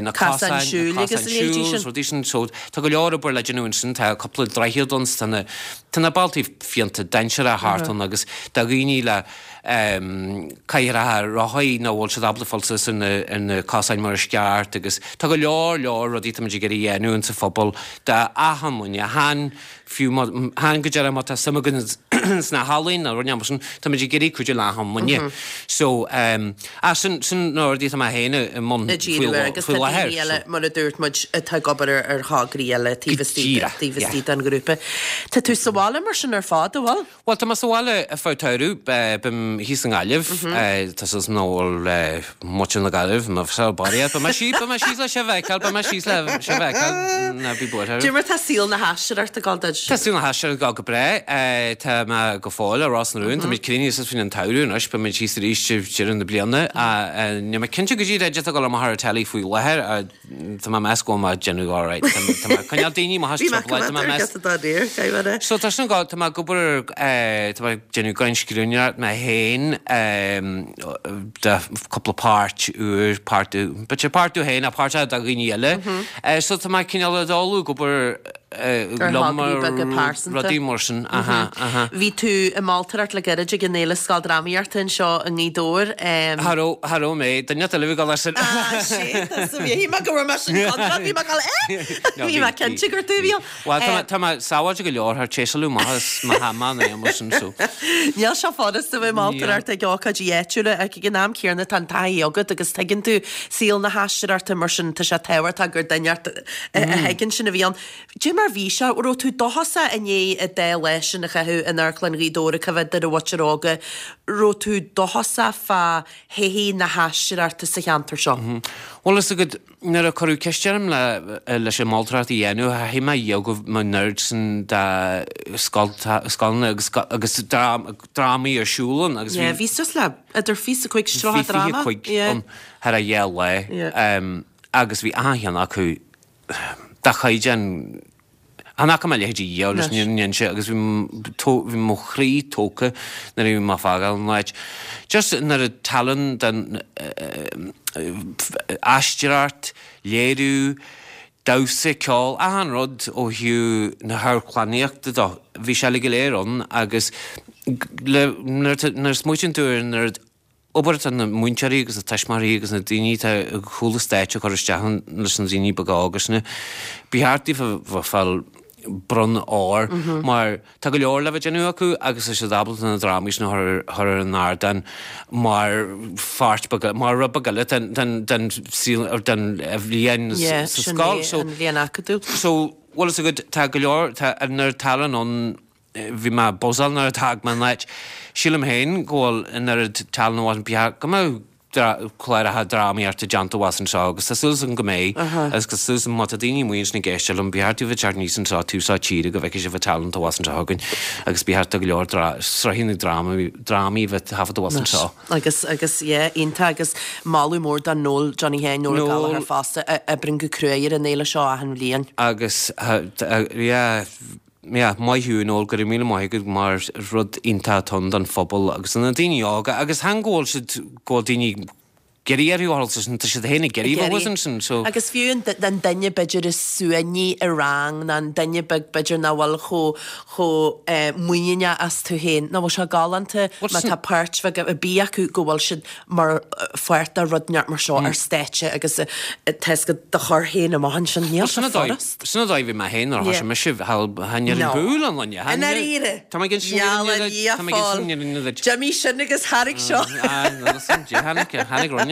na cosáin, na cosáin siúil agus rudaí sin. So tá go leor obair le déanamh ansin, tá cúpla droichead ann, tá na Tá na bealtaí fiánta dainséarach thart ann agus do dhaoine le cathaoireacha rothaí nach bhfuil siad ábalta fáil suas ar na cosáin mar is ceart agus tá go leor leor rudaí táimid ag iarraidh a dhéanamh insa phobal d'achan duine, chan fiú má, chan go díreach má tá suim againn sna healaíona nó rud mar sin, táimid ag iarraidh cuidiú le achan duine. So, ah, sin, sin na rudaí atá mé féin i mbun ag díriú air agus tá faoi láthair. daoine eile, mar a dúirt muid, atá ag obair ar ar thograí eile taobh istigh, Díreach, taobh yeah. istigh den ghrúpa. Tá tú sa bhaile mar sin ar fad, an bhfuil? Bhuel, tá mé sa bhaile ar feadh tsamhraidh, bím thíos i nGaillimh, tá súil agam nach bhfuil muintir na Gaillimhe, mo bheith buartha, beidh mé síos, beidh mé síos le sibh a fheiceáil, beidh mé síos le sibh a fheiceáil, ná bí buartha. Cad é mar tá saol na haisteoireachta ag dul duit? Tá saol na haisteoireachta ag dul go breá, tá mé go fóill i Ros na Rún, tá muid críochnaithe suas faoin an tsamhradh anois, beidh muid thíos arís ag deireadh na bliana, níl mé cinnte go díreach cad é atá ag dul amach ar an teilí faoi láthair, Tá mé ag meas go bhfuil mé ag déanamh alright. Tá mé ag coinneáil daoine amach as Bhí mé trioblóid, tá mé ag meas. coimeád ar giosa dá réir, caithfidh mé. So tá sin go, tá mé ag obair ar, tá mé ag déanamh scríbhneoireacht mé féin de cúpla páirt úr, páirt, b'fhéidir páirt domh féin ach páirt do dhaoine eile. So tá mé cineál ag dul ag obair Ar liom thograí ar beaga pearsanta. rudaí mar sin, aha, aha. Bhí tú i moltóireacht le gairid ag an Fhéile Scoildrámaíochta anseo i nGaoth Dobhair. Cha raibh, cha raibh mé, duine eile a bhí ag dul air sin. Ah, shit, so bhí mé go raibh mé sin contra, bhí mé ag dul, eh? No, Bhí mé cinnte gur tú a bhí ann. Bhuel, tá mé, tá mé sábháilte go leor, thar téasáladh maith as mo hama nó mar sin, so. Níl sé furasta bheith moltóireacht ag ócáidí áitiúla ach ag an am céanna tá an taithí agat agus tuigeann tú saol na haisteoireachta mar sin tá sé tábhachtach gur duine a thuigeann sin a bhí ann. Cad é mar bhí sé, raibh tú dóchasach i ndiaidh an dá lá sin a chaitheamh in Amharclann Ghaoth Dobhair ag coimhéad ar an mhuintir óga, raibh tú dóchasach fá thodhchaí na haisteoireachta sa cheantar seo? Bhuel, is agat, nuair a cuireadh ceist orm le leis an moltóireacht a dhéanamh, thaithigh mé dhiaidh go mbeadh an oiread sin de scoileanna agus agus drámaí ar siúl ann agus bhí. Bhí suas le idir fiche is a cúig is tríocha dráma. Bhí fiche cúig ann thar a dhá lá agus bhí achan cheann acu de chaighdeán Chan fhaca mé a leithéid riamh leis an fhírinne a inse agus bhí bhí mo chroí tógtha nuair a bhí mé ag fágáil an áit. Just an oiread tallann den aisteoireacht, léiriú, damhsa, ceol, achan rud ó thaobh na hamharclannaíochta de, bhí sé uilig go léir ann agus le nuair a smaoitíonn tú ar an oiread obair atá na múinteoirí agus na tuismitheoirí agus na daoine atá ag cúl an stáitse ag cur isteach leis na daoine beaga óga sin, ba cheart daofa bheith fáil bonn óir mar tá go leor le bheith déanamh acu agus tá siad ábalta na drámaí sin a chur ar an ardán mar pháirt beag, mar rud beag eile den, den, den saol, den bhliain Yeah, sa sin scoil. é So, an bhliain acadúil. so, bhfuil fhios agat, tá go leor, tá an oiread tallann ann Bhí mé buzzáil nuair a d'fhág mé an áit. Sílim féin go bhfuil an oiread tallann ann ba cheart go mbeadh cláracha drámaíochta déanta abhus anseo agus tá súil agam go mbeidh agus tá súil agam má tá daoine amuigh ansin ag éisteacht liom ba cheart daoibh teacht aníos anseo taobh seo tíre go bhfeicfidh sibh an tallann atá abhus anseo againn agus ba cheart do go leor sraitheanna drámaí a bheith taifeadta abhus anseo. Agus, agus, yeah, iontach agus moladh mór do Noel Johnny Sheáin, Noel Gallagher fosta, a oibríonn go cruaidh ar an fhéile seo achan bhliain. Agus, yeah, Yeah, maith thú Noel, go raibh míle maith agat mar rud iontach atá ann don phobal agus do na daoine óga agus chan go bhfuil siad, go bhfuil daoine ag iarraidh orthu a ghabháil ansin, tá siad féin ag iarraidh a bheith ansin, so. Agus fiú an duine b'fhéidir is suaimhní i rang nó an duine beag b'fhéidir nach bhfuil chomh chomh muiníneach astu féin, nach bhfuil sé galánta má tá páirt bheag ar bith acu go bhfuil siad mar pháirt de rud inteacht mar seo ar stáitse agus tá 'fhios agat do chur féin amach ansin, níl sé furast. Sin an dóigh a bhí mé féin nuair a thosaigh mise, chan ar an bpúl an loine. I ndáiríre. Tá mé ag insint an fhírinne duit, tá mé ag insint an fhírinne duit. D'imigh sin agus tháinig seo. Tháinig roinne.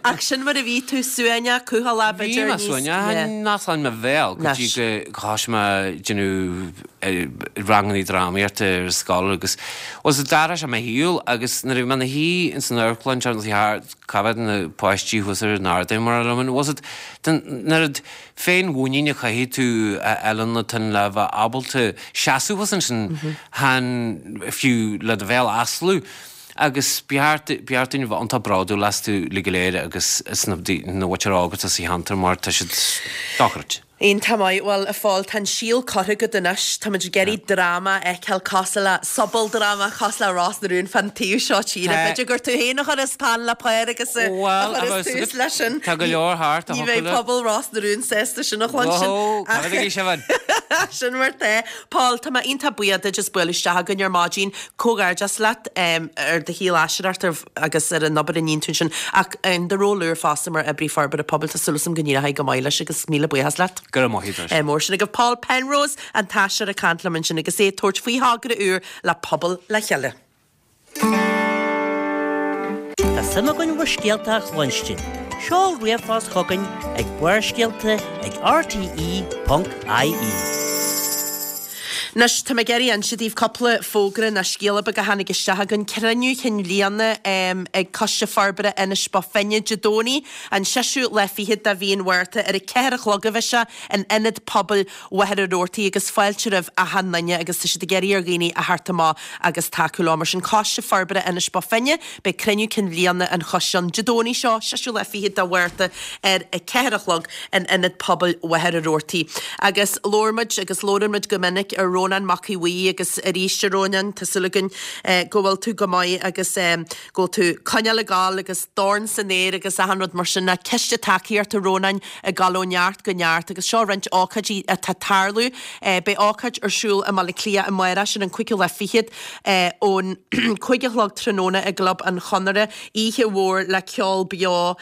Ach sin mar a bhí tú, suaimhneach, cúthaileach, b'fhéidir níos. Bhí mé suaimhneach, nach ann mo bhéal go dtí go thosaigh mé ag déanamh ranganna drámaíochta ar scoil agus was d'athraigh sé mo shaol agus nuair a bhí mé ina shuí ins an amharclann seo thart cá mhéad na páistí thuas ar an ardán mar a liom was it an oiread féinmhuinín a chaithfidh tú a fháil ionat le bheith ábalta seasamh thuas ansin chan fiú le do bhéal a osclú agus ba cheart ba cheart dúinn a bheith iontach bródúil astu uilig go léir agus as na na mhuintir óg atá sa cheantar mar tá siad dochreidte. Iontach maith. Bhuel, a Phóil, tá an síol curtha agat anois. Táimid ag iarraidh dráma a fheiceáil cosúil le, sobaldráma cosúil le Ros na Rún fán taobh seo tíre. Tá. B'fhéidir gur tú féin a chuirfeas peann le pár agus a Bhuel, a chuirfeas bheas tús leis sin. Tá go leor thart a Ní thiocfadh bheidh le. pobal Ros na Rún sásta sin a chluinstin. Whoa, cá Ach bhfad a bhí sibh ann? sin mar tá. Paul, tá mé iontach buíoch duit as bualadh isteach againn ar maidin. Comhghairdeas leat ar do shaol aisteoireachta agus ar an obair a níonn tú ansin ach in do ról úr fosta mar Oibrí Forbartha Pobail. Tá súil agam go n-éireoidh go maith leis agus míle buíochas leat. Go raibh maith agat. Mór sin agaibh. Paul Penrose, an t-aisteoir ag caint liom ansin agus é ag tabhairt faoi thogra úr le Pobal le Chéile. Tá suim againn bhur scéalta a chluinstin. Seol ríomhphost chugainn ag Barrscéalta ag rte ponc ie. Anois, tá mé ag iarraidh inse daoibh cúpla fógra nó scéala beag a tháinig isteach againn. Cruinniú Chinn Bhliana ag Coiste Forbartha Inis Bó Finne Dé Domhnaigh, an seisiú lá fichead de mhí an Mhárta ar a ceathair a chlog a bheidh sé in Ionad Pobail Mhachaire Rabhartaigh agus fáilte roimh achan duine agus tá siad ag iarraidh ar dhaoine a theacht amach agus tacú leo. Mar sin, Coiste Forbartha Inis Bó Finne, beidh cruinniú cinn bhliana an choiste ann Dé Domhnaigh seo, seisiú lá fichead de Mhárta ar a ceathair a chlog in Ionad Pobail Mhachaire Rabhartaigh. Agus labhair muid agus labhrann muid go minic ar Rónán Mac Aodha Bhuí agus arís a Rónáin, tá súil againn go bhfuil tú go maith agus go bhfuil tú coinneáil ag gabháil agus dorn san aer agus achan rud mar sin. Ná Ciste Tacaíochta Rónáin ag gabháil ó neart go neart agus seo roinnt ócáidí atá ag tarlú. Beidh ócáid ar siúl i mBaile Átha Cliath amárach, sin an cúigiú lá fichead, ón cúig a chlog tráthnóna i gClub an Chonartha, oíche mhór le ceol beo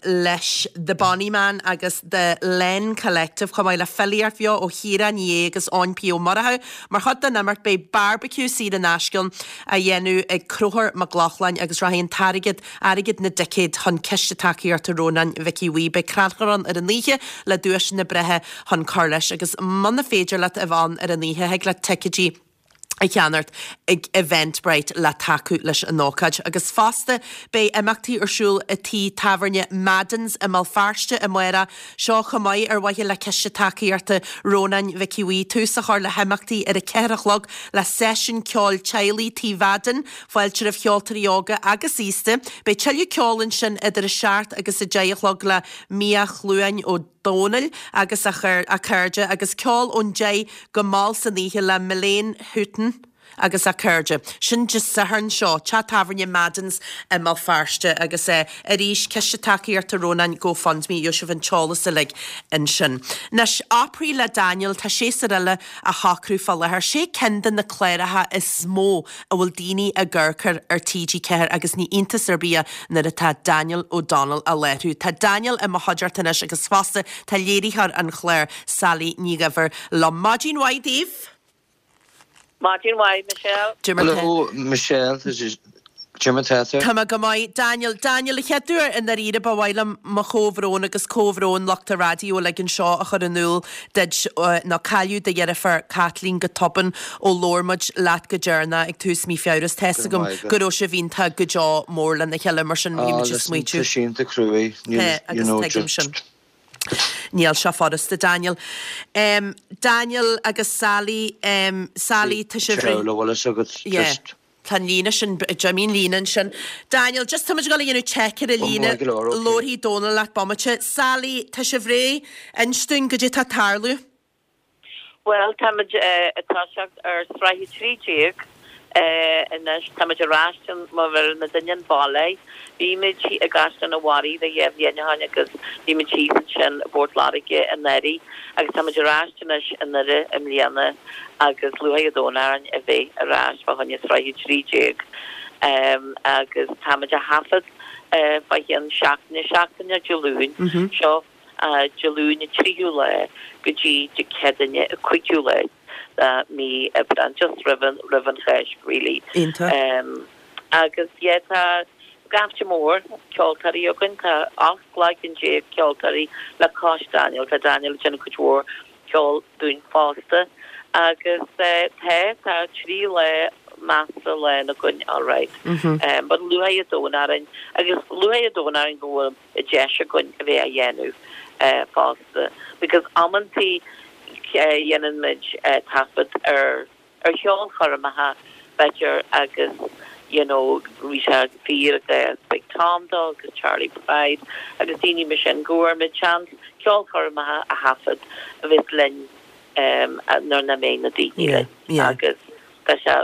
leis The Bonny Man agus The Len Collective chomh maith le filíocht bheo ó Chiara Ní É agus Eoin P Ó Murchú. Mar chuid den imeacht beidh barbecue saor in aisce á dhéanamh ag Conchúr Mac Lochlainn agus rachaidh an t-airgead, airgead na dticéad, chun Ciste Tacaíochta Rónáin Mhic Aodha Bhuí. Beidh crannchur ann ar an oíche le duaiseanna breátha chun cur leis agus muna féidir leat a bheith ann ar an oíche thig leat ticéidí a cheannacht ag Eventbrite le tacú leis an ócáid. Agus fosta beidh imeachtaí ar siúl i tí tábhairne Madden's i mBéal Feirste amárach, seo chomh maith ar mhaithe le Ciste Tacaíochta Rónáin Mhic Aodha Bhuí. Tús a chur le himeachtaí ar a ceathair a chlog le seisiún ceoil teaghlaigh Tí Mhadden, fáilte roimh cheoltóirí óga agus aosta. Beidh tuilleadh ceoil ansin idir a seacht agus a deich a chlog le Mia Chluain Ó Dónaill agus a cairde agus ceol ón deich go mall san oíche le Milene Hutton agus a cairde. Sin Dé Sathairn seo, teach tábhairne Madden's i mBéal Feirste agus arís Ciste Tacaíochta Rónáin GoFundMe, gheobhaidh sibh an t-eolas uilig ansin. Anois, Opry le Daniel, tá séasúr eile á shocrú fá láthair. Sé ceann de na cláracha is mó a bhfuil daoine ag amharc air ar T G ceathair agus ní iontas ar bith é nuair atá Daniel O'Donnell á láithriú. Tá Daniel i mo chuideachta anois agus fosta tá léiritheoir an chláir, Sally Ní Dhuibhir, liom. Maidin mhaith daoibh! Maidin mhaith, Michelle. Cad é mar tá. Hello, Michelle. Cad é mar tá tú? Tá mé go maith. Daniel, Daniel, a chéaduair i ndáiríre ba mhaith liom mo chomhbhrón agus comhbhrón lucht an raidió uilig anseo a chur in iúl duit nó cailleadh do dheirfiúr Kathleen go tobann ó labhair muid leat go deireanach ag tús mí Feabhra is tá's Go agam raibh maith go agat. raibh sibh iontach go deo mór lena chéile mar sin bhí Ah, muid ag listen, smaoitiú. tá sé iontach cruaidh, níl, Tá, you agus know, tuigim just. sin. Níl sé furasta, Daniel. Um, Daniel agus Sally, um, Sally, tá sibh Seo le bhfuil fhios agat, Yeah. just. Tá an líne sin, d'imigh an líne ansin. Daniel, just tá muid ag dul a dhéanamh check ar an Ó, líne. maith go leor, okay. Labharfaidh Dónal leat bomaite. Sally, tá sibh réidh? Inis dúinn goidé tá ag tarlú. Bhuel, táimid ag toiseacht ar sraith a trí déag Anois táimid ar ais mar bheir na duine an bhaile. Bhí muid i gCaisleán an Bharraigh dhá bhliain ó shin agus bhí muid thíos ansin i bPort Láirge anuraidh agus táimid ar ais anois i nDoire i mbliana agus lúcháir an domhain orainn a bheith ar ais fá choinne sraith a trí déag agus táimid a thaifead fá chionn seachtaine, seachtaine Dé Luain seo, Dé Luain an tríú lá go dtí Dé Céadaoine an cúigiú lá de mí Aibreán, just roimh an, roimh an Cháisc really. Iontach. Agus yeah tá gaibhte mór ceoltóirí againn, tá ocht gcloigeann déag ceoltóirí le cois Daniel, tá Daniel ag déanamh cuid mhór ceoil dúinn fosta agus tá, tá trí lá measartha lán againn alright. But lúcháir an domhain orainn agus lúcháir an domhain orainn go bhfuil an deis againn a bheith á dhéanamh fosta because amantaí dhéanann muid taifead ar ar cheolchoirmeacha b'fhéidir agus you know bhí sé fíor i gcás Big Tom dó agus Charlie Pride agus daoine mar sin go bhfuair muid seans ceolchoirmeacha a thaifead a bheas linn nuair nach mbeidh na daoine linn agus tá sé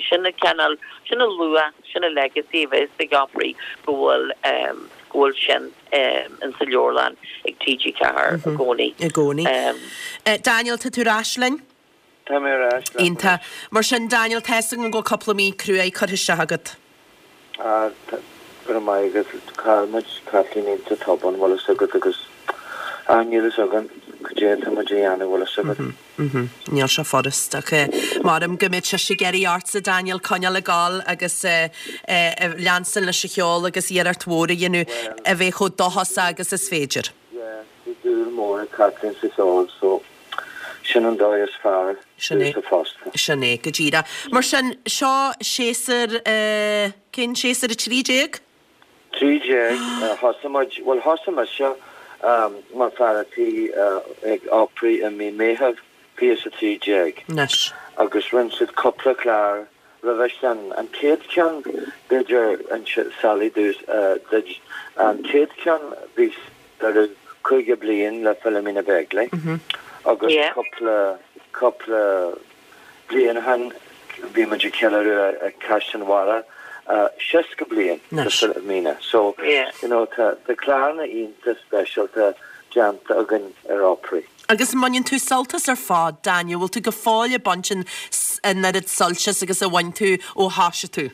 sin an cineál sin an luach sin an legacy a bheas ag Opry go bhfuil go bhfuil sin in sa leabharlann ag T G ceathair i gcónaí. I gcónaí. Daniel, tá tú ar ais linn? Tá mé ar ais leat. Iontach. Mar sin, Daniel, tá 'fhios agam go bhfuil cúpla mí cruaidh curtha isteach agat. Ah, tá, go raibh maith agat. Chaill muid Caitlín iontach tobann, bhfuil fhios agat, agus, ah, níl fhios againn cad é atá muid a dhéanamh, bhfuil fhios agat. Mhm, níl sé furast ach maram go mbeidh sise ag iarraidh ortsa, Daniel, coinneáil ag gabháil agus leanstan leis an cheol agus iarracht mhór a dhéanamh a bheith chomh dóchasach agus is féidir. Yeah, bhí dúil mór ag Caitlín sa cheol so sin an dóigh is fearr Sin é. domhsa fosta. Sin é, go díreach. Mar sin, seo séasúr, cén séasúr, a trí déag? Trí déag, thosaigh muid, bhuel thosaigh mise mar fear a' tí ag Opry i mí Meitheamh fiche is a trí déag. Anois. Agus rinne siad cúpla clár roimhe sin. An chéad cheann, b'fhéidir, inse Sally duit, an chéad cheann bhí ceiliúradh caoga bliain le Philomena Begley agus cúpla, cúpla bliain ó shin bhí muid ag ceiliúradh ag Caisleán an Bharraigh seasca bliain de Philomena. So, you know, tá tá cláranna iontach speisialta déanta againn ar Opry. Agus an mbaineann tú sult as ar fad, Daniel, bhfuil tú go fóill ag baint an an oiread suilt as agus a bhain tú ó thoisigh tú?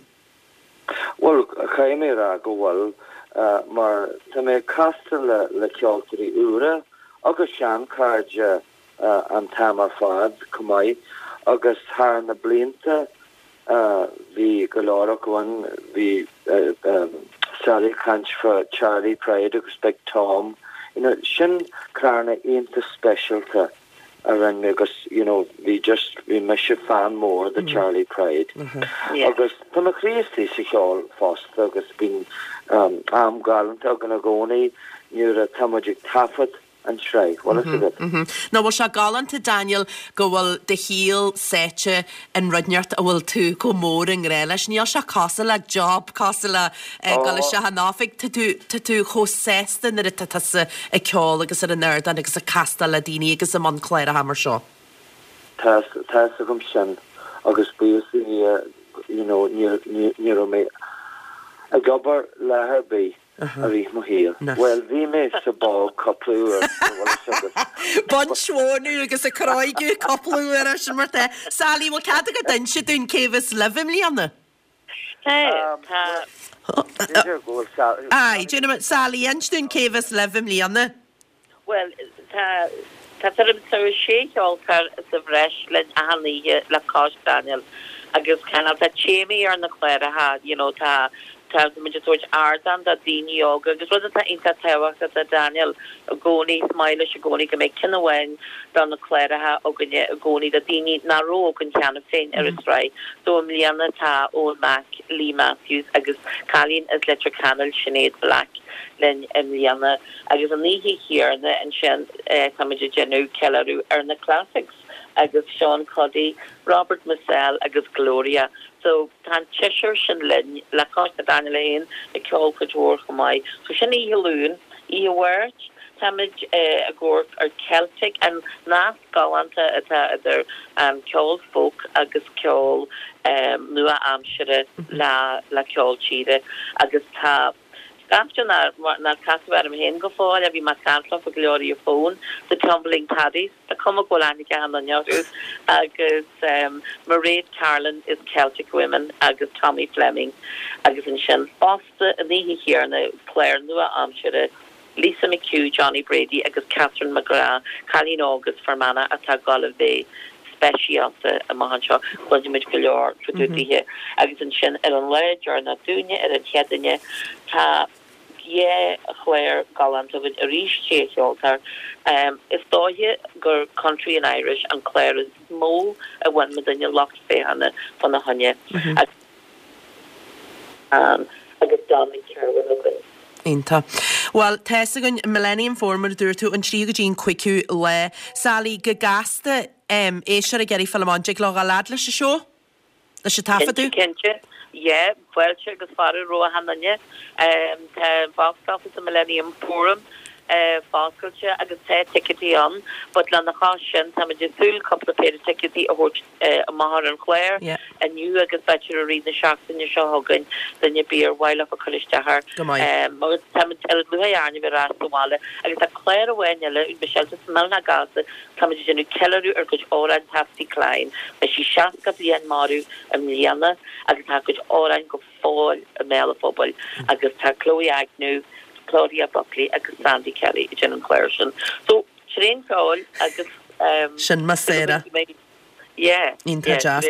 Bhuel, caithfidh mé a rá go bhfuil, mar tá mé ag castáil le le ceoltóirí úra agus seanchairde an t-am ar fad chomh maith agus thar na blianta bhí go leor acu ann, bhí Sally ag caint fá Charlie Pride agus Big Tom, you know, sin cláranna iontach speisialta a rinne mé agus you know bhí just, bhí mise fan mór de Charlie Pride agus tá mo chroí istigh sa cheol fosta agus bíonn am galánta againn i gcónaí nuair atá muid ag taifead an tsraith, bhfuil fhios agat. Nach bhfuil sé galánta, Daniel, go bhfuil do shaol sáite in rud inteacht a bhfuil tú chomh mór i ngrá leis. Níl sé cosúil le job, cosúil le dul isteach in oifig. Tá tú, tá tú chomh sásta nuair atá tusa ag ceol agus ar an ardán agus ag castáil le daoine agus i mbun cláracha mar seo. Tá, tá fhios agam sin agus buíochas do Dhia, you know, ní, ní, ní raibh mé ag obair lá ar bith. I rith mo shaoil. Bhuel, bhí mé sa bog cúpla uair, an bhfuil fhios agat. Baint mhónadh agus ag cróigeadh cúpla uair ar sin mar tá. Sally, bhfuil cead agat inse dúinn cé bheas libh i mbliana? Tá, tá. B'fhéidir go bhfuil Sally. Aye, déanfaidh muid. Sally, inis dúinn cé bheas libh i mbliana. Bhuel, tá, tá tuairim is sé cheoltóir sa bhreis linn achan oíche le cois Daniel agus cineál tá téamaí ar na cláracha, you know, tá, tá muid ag tabhairt ardán do daoine óga agus rud atá iontach tábhachtach do Daniel i gcónaí, is maith leis i gcónaí go mbeidh ceann amháin do na cláracha againne i gcónaí do daoine nach raibh againn cheana féin ar an tsraith. So i mbliana tá Eoin Mack, Lee Matthews agus cailín as Leitir Ceanainn, Sinéad Black linn i mbliana agus an oíche chéanna ansin táimid ag déanamh ceiliúradh ar na classics agus Sean Cuddy, Robert Mizzell agus Gloria. So tá an tseisear sin linn le cois Daniel féin ag ceol cuid mhór chomh maith. So sin oíche Luain. Oíche Mháirt Táimid ag amharc ar Celtic, an nasc galánta atá idir ceol folk agus ceol nua-aimsire le ceol tíre agus tá scaifte nár casadh orm féin go fóill a bhí mé ag caint leofa go leor ar an bhfón, The Tumbling Paddies, tá cuma go bhfuil aithne ag achan duine orthu, agus Mairéad Carlin is Celtic Women agus Tommy Fleming agus ansin fosta an oíche chéanna clár nua-aimsire Lisa McHugh, Johnny Brady agus Catherine McGrath, cailín óg as Fear Manach atá ag gabháil a bheith speisialta amach anseo. Cluinfidh muid go leor fá dtaobh daoithe. Agus ansin ar an lá deireanach dúinne, ar an Chéadaoine, tá dhá chlár galánta againn arís, sé cheoltóir. Is dóiche gur Country and Irish an clár is mó a bhain muidinne lucht féachana fána choinne. Agus. agus Dominic Kirwan againn. Iontach. Bhuel, tá's againn, Millennium Forum, mar a dúirt tú, an tríú go dtí an cúigiú lá. Sally, go gasta, em, éisteoir ag iarraidh fáil amach, an dtig leo dhul fhad leis an seó? Leis an taifeadadh? Cinnte, cinnte. Yeah, fáilte agus fearadh roimh achan duine. Em, tá an box office i Millennium Forum, eh, foscailte agus tá ticéidí ann, but lena chois sin, táimid ag súil cúpla péire ticéidí a thabhairt, amach ar an chlár inniu agus b'fhéidir i rith na seachtaine seo chugainn duine ar bith ar mhaith leofa cur isteach air. Go maith. Agus táimid ar lúcháir orainn a bheith ar ais sa bhaile agus tá clár amháin eile, Michelle, just millteanach gasta, táimid ag déanamh ceiliúradh ar chuid amhráin Patsy Cline. Beidh sí seasca bliain marbh i mbliana agus tá a cuid amhráin go fóill i mbéal an phobail agus tá Chloe Agnew, Claudia Buckley agus Sandy Kelly ag déanamh an chláir sin. So, tréan ceoil agus. Sin mo Sarah. Yeah. Iontach deas.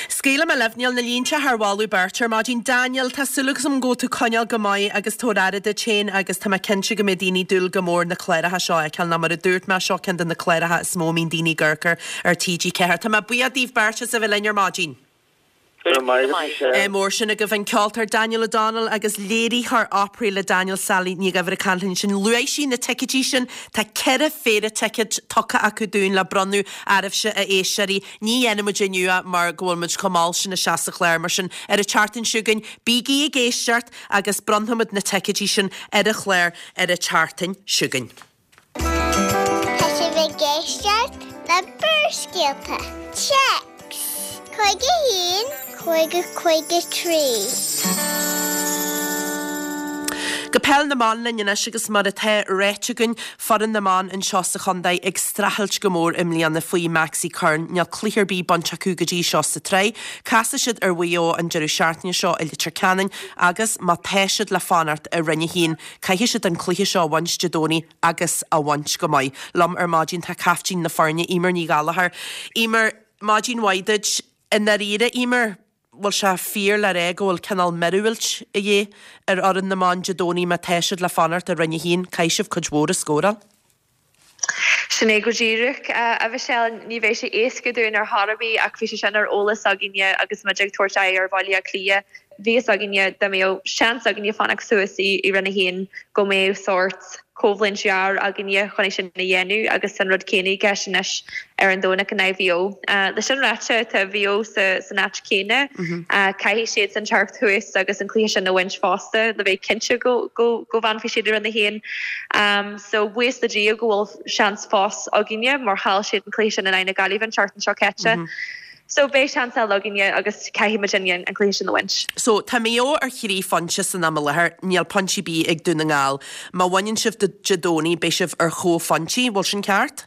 Scaoilfidh mé libh, níl na línte thar mholadh beirte ar maidin. Daniel, tá súil agam go bhfuil tú coinneáil go maith agus tabhair aire duit féin agus tá mé cinnte go mbeidh daoine ag dúil go mór na cláracha seo a fheiceáil nó mar a dúirt mé, seo ceann de na cláracha is mó a mbíonn daoine ag amharc air ar T G ceathair. Tá mé buíoch daoibh beirt as a bheith linn ar maidin. Go raibh maith agat, Michelle. Mór sin agaibh an ceoltóir Daniel O'Donnell agus léiritheoir opry le Daniel Sally Ní Dhuibhir ag caint linn ansin. Luaigh sí na ticéidí sin, tá ceithre phéire ticéad tugtha acu dúinn le bronnadh oraibhse a éisteoirí. Ní dhéanfaidh muid inniu é mar go bhfuil muid chomh mall sin isteach sa chlár, mar sin ar an tseachtain seo chugainn bígí ag éisteacht agus bronnfaimid na ticéidí sin ar an chlár ar an tseachtain seo chugainn. Tá sibh ag éisteacht le Barrscéalta. Téacs, caoga a haon, caoga caoga trí. Go Peil na mBan linn anois agus mar atá ráite againn, foireann na mban anseo sa chontae ag streachailt go mór i mbliana faoi Maxi Curran. Níl cluiche ar bith bainte acu go dtí seo sa tsraith. Casfaidh siad ar Mhaigh Eo an deireadh seachtaine seo i Leitir Ceanainn agus má tá siad le fanacht i Roinn a hAon, caithfidh siad an cluiche seo a bhaint Dé Domhnaigh agus a bhaint go maith. Liom ar maidin tá caiftín na foirne, Eimear Ní Ghallchóir. Eimear, maidin mhaith duit. I ndáiríre, Eimear, bhfuil sé fíor le rá go bhfuil cineál míorúilt a dhíth ar fhoireann na mban Dé Domhnaigh má tá siad le fanacht i Roinn a hAon, caithfidh sibh cuid mhór a scóráil? Sin é go díreach, a Mhichelle. Ní bheidh sé éasca dúinn ar chor ar bith ach bhí sé sin ar eolas againne agus muid ag tabhairt aghaidh ar Bhaile Átha Cliath. Bhí fhios againne dá mbeadh seans againne fanacht suas i Roinn a hAon go mbeadh sórt coimhlint ghearr againne chun é sin a dhéanamh agus tá an rud céanna i gceist anois ar an Domhnach in aghaidh Mhaigh Eo. Le sin ráite, tá Mhaigh Eo san áit chéanna. Caithfidh siadsan teacht thuas agus an cluiche sin a bhaint fosta le bheith cinnte go bhfanfaidh siad i Roinn a hAon. So buíochas le Dia go bhfuil seans fós againne mar chaill siad an cluiche sin in aghaidh na Gaillimhe an tseachtain seo caite. So beidh seans eile againne agus caithfidh muidinne an cluiche sin a bhaint. So tá Maigh Eo ar thrí phointe san am i láthair, níl pointe ar bith ag Dún na nGall. Má bhaineann sibh Dé Domhnaigh beidh sibh ar chomhphointí, bhfuil sin ceart?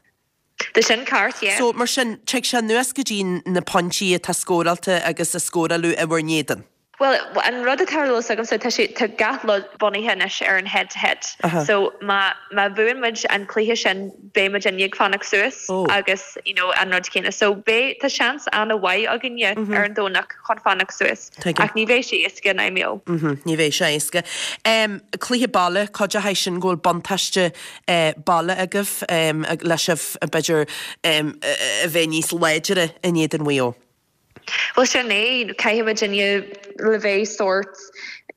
Tá sin ceart, yeah. So mar sin, tig sé anuas go dtí na pointí atá scóráilte agus a scóráladh i bhur n-éadan. Bhuel, an rud atá ar eolas agamsa, tá sé, tá gach rud bunaithe anois ar an head to head. So má, má bhuann muid an cluiche sin, beidh muidinne ag fanacht suas agus, you know, an rud céanna. So beidh, tá seans an-mhaith againne ar an Domhnach chun fanacht suas. Ach ní bheidh sé éasca in aghaidh Maigh Eo. Ní bheidh sé éasca. Cluiche baile, cuideoidh sin go bhfuil buntáiste baile agaibh le sibh, b'fhéidir, a bheith níos láidre in éadan Mhaigh Eo. Bhuel sin é, caithfidh muidinne le bheith sórt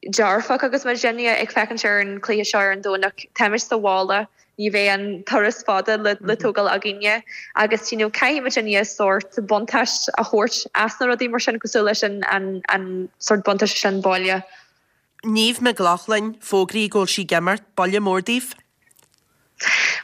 dearfach agus muidinne ag féachaint ar an chluiche seo ar an Domhnach. Táimid sa bhaile, ní bheidh an turas fada le tógáil againne agus you know caithfidh muidinne sórt buntáiste a thabhairt as na rudaí mar sin cosúil leis an an sórt buntáiste sin baile. Niamh McLaughlin, fógraíodh go bhfuil sí ag imirt, buille mór daoibh?